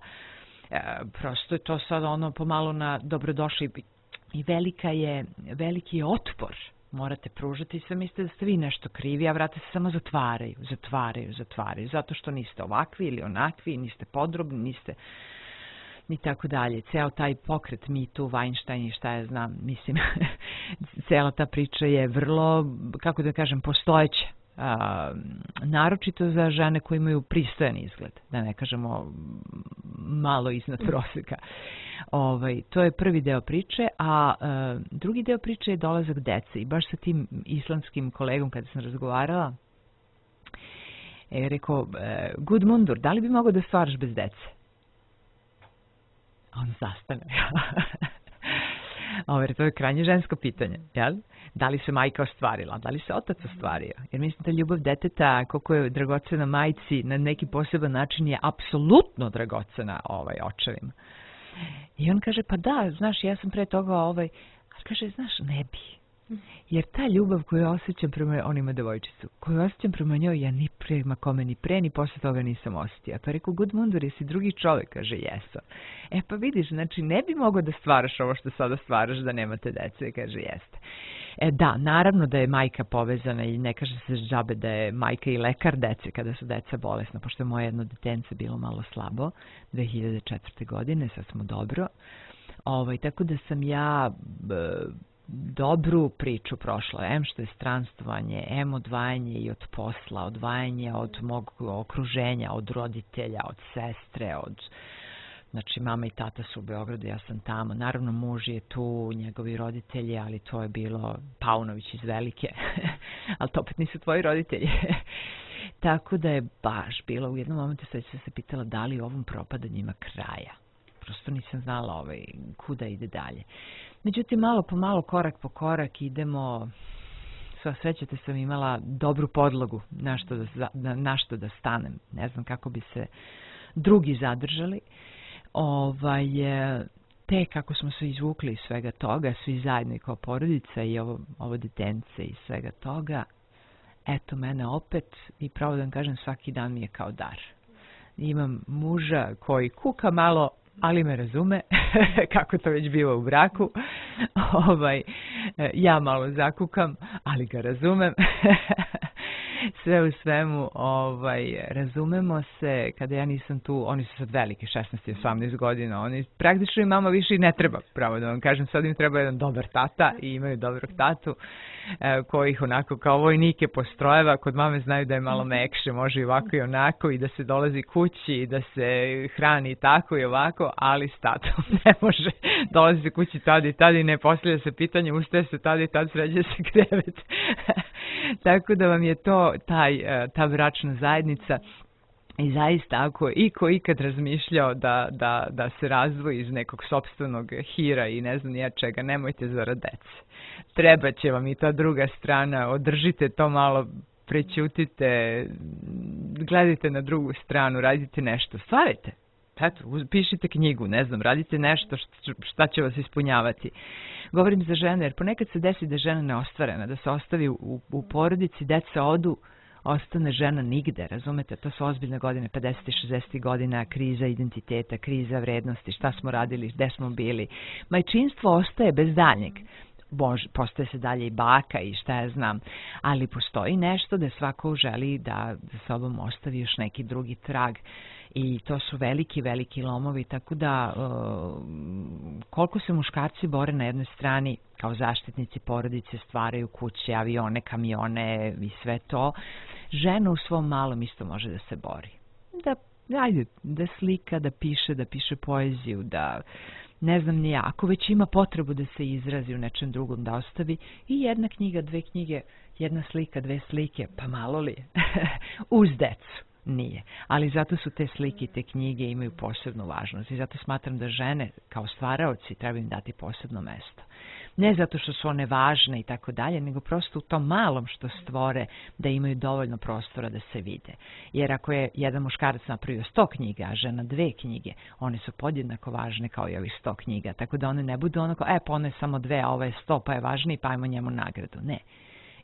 Prosto je to sad ono pomalo na dobrodošli i veliki je otpor. Morate pružati i sve mislite da ste vi nešto krivi, a vrata se samo zatvaraju, zato što niste ovakvi ili onakvi, niste podrobni, niste i tako dalje. Ceo taj pokret Me Too, Weinstein i šta ja znam, mislim, cela ta priča je vrlo, kako da kažem, postojeća. Naročito za žene koje imaju pristojan izgled, da ne kažemo malo iznad proseka. To je prvi deo priče, a drugi deo priče je dolazak dece. I baš sa tim islamskim kolegom kada sam razgovarala, je rekao, Gudmundur, da li bi mogao da stvaraš bez dece? On zastane. To je krajnje žensko pitanje, jel? Da li se majka ostvarila, da li se otac ostvario? Jer mislim da ljubav deteta, koliko je dragocena majci, na neki poseban način je apsolutno dragocena očevima. I on kaže, pa da, znaš, ja sam pre toga, kaže, znaš, ne bi. Jer ta ljubav koju osjećam prema, on ima devojčicu, koju osjećam prema njoj, ja ni prema kome, ni pre, ni posle toga nisam osjetio. Pa rekao, Gudmundur, jesi drugi čovjek? Kaže, jesam. Pa vidiš, znači, ne bi mogao da stvaraš ovo što sada stvaraš da nemate dece, kaže, jeste. Da, naravno da je majka povezana i ne kaže se džabe da je majka i lekar dece kada su deca bolesna, pošto je moje jedno detence bilo malo slabo 2004. godine, sad smo dobro. Tako da sam ja dobru priču prošla, što je stranstvovanje, odvajanje i od posla, odvajanje od mog okruženja, od roditelja, od sestre, znači mama i tata su u Beogradu, ja sam tamo, naravno muž je tu, njegovi roditelji, ali to je bilo Paunović iz Velike, ali to opet nisu tvoji roditelji. Tako da je baš bilo, u jednom momentu sad sam se pitala da li ovom propadanjima kraja. Prosto nisam znala kuda ide dalje. Međutim, malo po malo, korak po korak idemo, sva srećate sam imala dobru podlogu na što da stanem. Ne znam kako bi se drugi zadržali. Te kako smo se izvukli iz svega toga, svi zajedno i kao porodica i ovo detence i svega toga, eto mene opet i pravo da vam kažem svaki dan mi je kao dar. Imam muža koji kuka malo, ali me razume, kako to već biva u braku. Ja malo zakukam, ali ga razumem. Sve u svemu, razumemo se, kada ja nisam tu, oni su sad veliki, 16 i 18 godina, oni praktično i mama više i ne treba, pravo da vam kažem, sad im treba jedan dobar tata i imaju dobrog tatu, koji ih onako kao vojnike postrojeva, kod mame znaju da je malo mekše, može i ovako i onako i da se dolazi kući i da se hrani tako i ovako, ali s tatom ne može, dolazi se kući tada i ne postavlja se pitanje, ustaje se tada i tad sređe se krevet. Tako da vam je to ta bračna zajednica i zaista ako iko ikad razmišljao da se razvoji iz nekog sopstvenog hira i ne znam nija čega, nemojte zarad dece. Treba će vam i ta druga strana, održite to malo, prećutite, gledajte na drugu stranu, radite nešto, stvarajte. Eto, pišite knjigu, ne znam, radite nešto šta će vas ispunjavati. Govorim za žene, jer ponekad se desi da je žena neostvarena, da se ostavi u porodici, deca odu, ostane žena nigde, razumete? To su ozbiljne godine, 50. i 60. godina, kriza identiteta, kriza vrednosti, šta smo radili, gde smo bili. Majčinstvo ostaje bez daljnjeg. Postoje se dalje i baka i šta ja znam, ali postoji nešto da svako želi da za sobom ostavi još neki drugi trag i to su veliki, veliki lomovi, tako da koliko se muškarci bore na jednoj strani kao zaštitnici porodice, stvaraju kuće, avione, kamione i sve to, žena u svom malom isto može da se bori. Da slika, da piše poeziju, da ne znam ni ja, ako već ima potrebu da se izrazi u nečem drugom, da ostavi i jedna knjiga, dve knjige, jedna slika, dve slike, pa malo li? Uz decu. Nije. Ali zato su te slike i te knjige imaju posebnu važnost i zato smatram da žene kao stvaraoci treba im dati posebno mesto. Ne zato što su one važne i tako dalje, nego prosto u tom malom što stvore da imaju dovoljno prostora da se vide. Jer ako je jedan muškarac napravio 100 knjiga, a žena 2 knjige, one su podjednako važne kao i ovih 100 knjiga. Tako da one ne budu onako, pa one je samo 2, a ovo je 100, pa je važniji, pa ajmo njemu nagradu. Ne.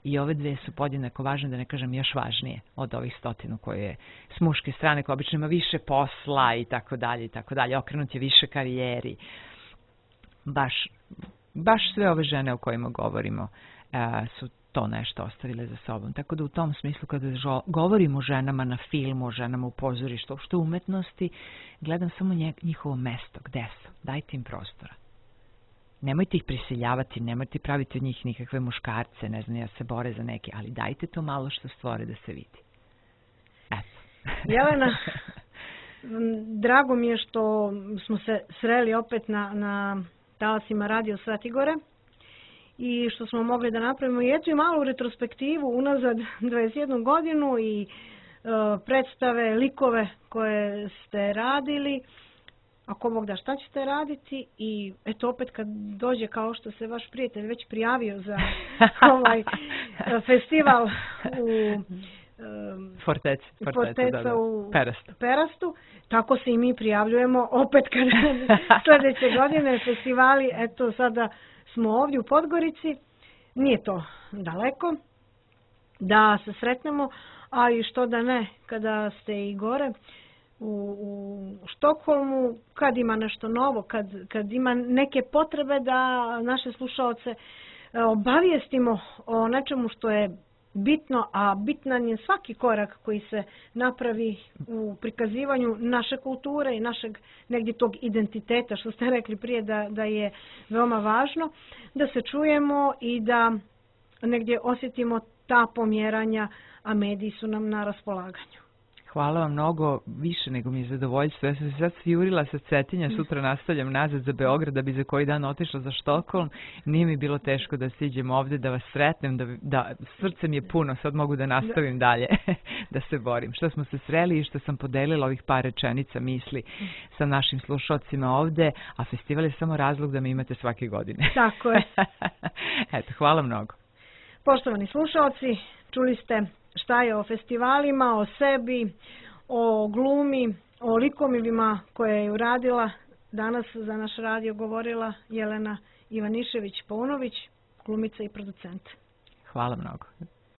I ove 2 su podjednako važne, da ne kažem još važnije od ovih 100 koje je s muške strane, koja obično ima više posla i tako dalje, okrenut je više karijeri. Baš sve ove žene o kojima govorimo su to nešto ostavile za sobom. Tako da u tom smislu kada govorimo o ženama na filmu, o ženama u pozorištu, uopšte umetnosti, gledam samo njihovo mesto, gde su, dajte im prostora. Nemojte ih prisiljavati, nemojte praviti od njih nikakve muškarce, ne znam, ja se bore za neke, ali dajte to malo što stvore da se vidi. Eto. Jelena, Drago mi je što smo se sreli opet na talasima Radio Svetogore i što smo mogli da napravimo jednu malu retrospektivu unazad 21 godinu i predstave, likove koje ste radili. Ako Bog da, šta ćete raditi? I eto opet kad dođe, kao što se vaš prijatelj već prijavio za ovaj festival u Forteca u Perastu, tako se i mi prijavljujemo opet kad sljedeće godine festivali. Eto sada smo ovdje u Podgorici, nije to daleko da se sretnemo, a i što da ne, kada ste i gore u Štokholmu, kad ima nešto novo, kad ima neke potrebe da naše slušaoce obavijestimo o nečemu što je bitno, a bitan je svaki korak koji se napravi u prikazivanju naše kulture i našeg negdje tog identiteta, što ste rekli prije da je veoma važno, da se čujemo i da negdje osjetimo ta pomjeranja, a mediji su nam na raspolaganju. Hvala vam mnogo, više nego mi je zadovoljstvo. Ja sam se sad svijurila sa Cetinja, sutra nastavljam nazad za Beograd da bi za koji dan otišla za Štokholm. Nije mi bilo teško da siđem ovdje, da vas sretnem, da srce mi je puno, sad mogu da nastavim dalje, da se borim. Što smo se sreli i što sam podelila ovih par rečenica misli sa našim slušalcima ovdje, a festival je samo razlog da me imate svake godine. Tako je. Eto, hvala mnogo. Poštovani slušalci, čuli ste šta je o festivalima, o sebi, o glumi, o likovima koje je uradila. Danas za naš radio govorila Jelena Ivanišević-Paunović, glumica i producent. Hvala mnogo.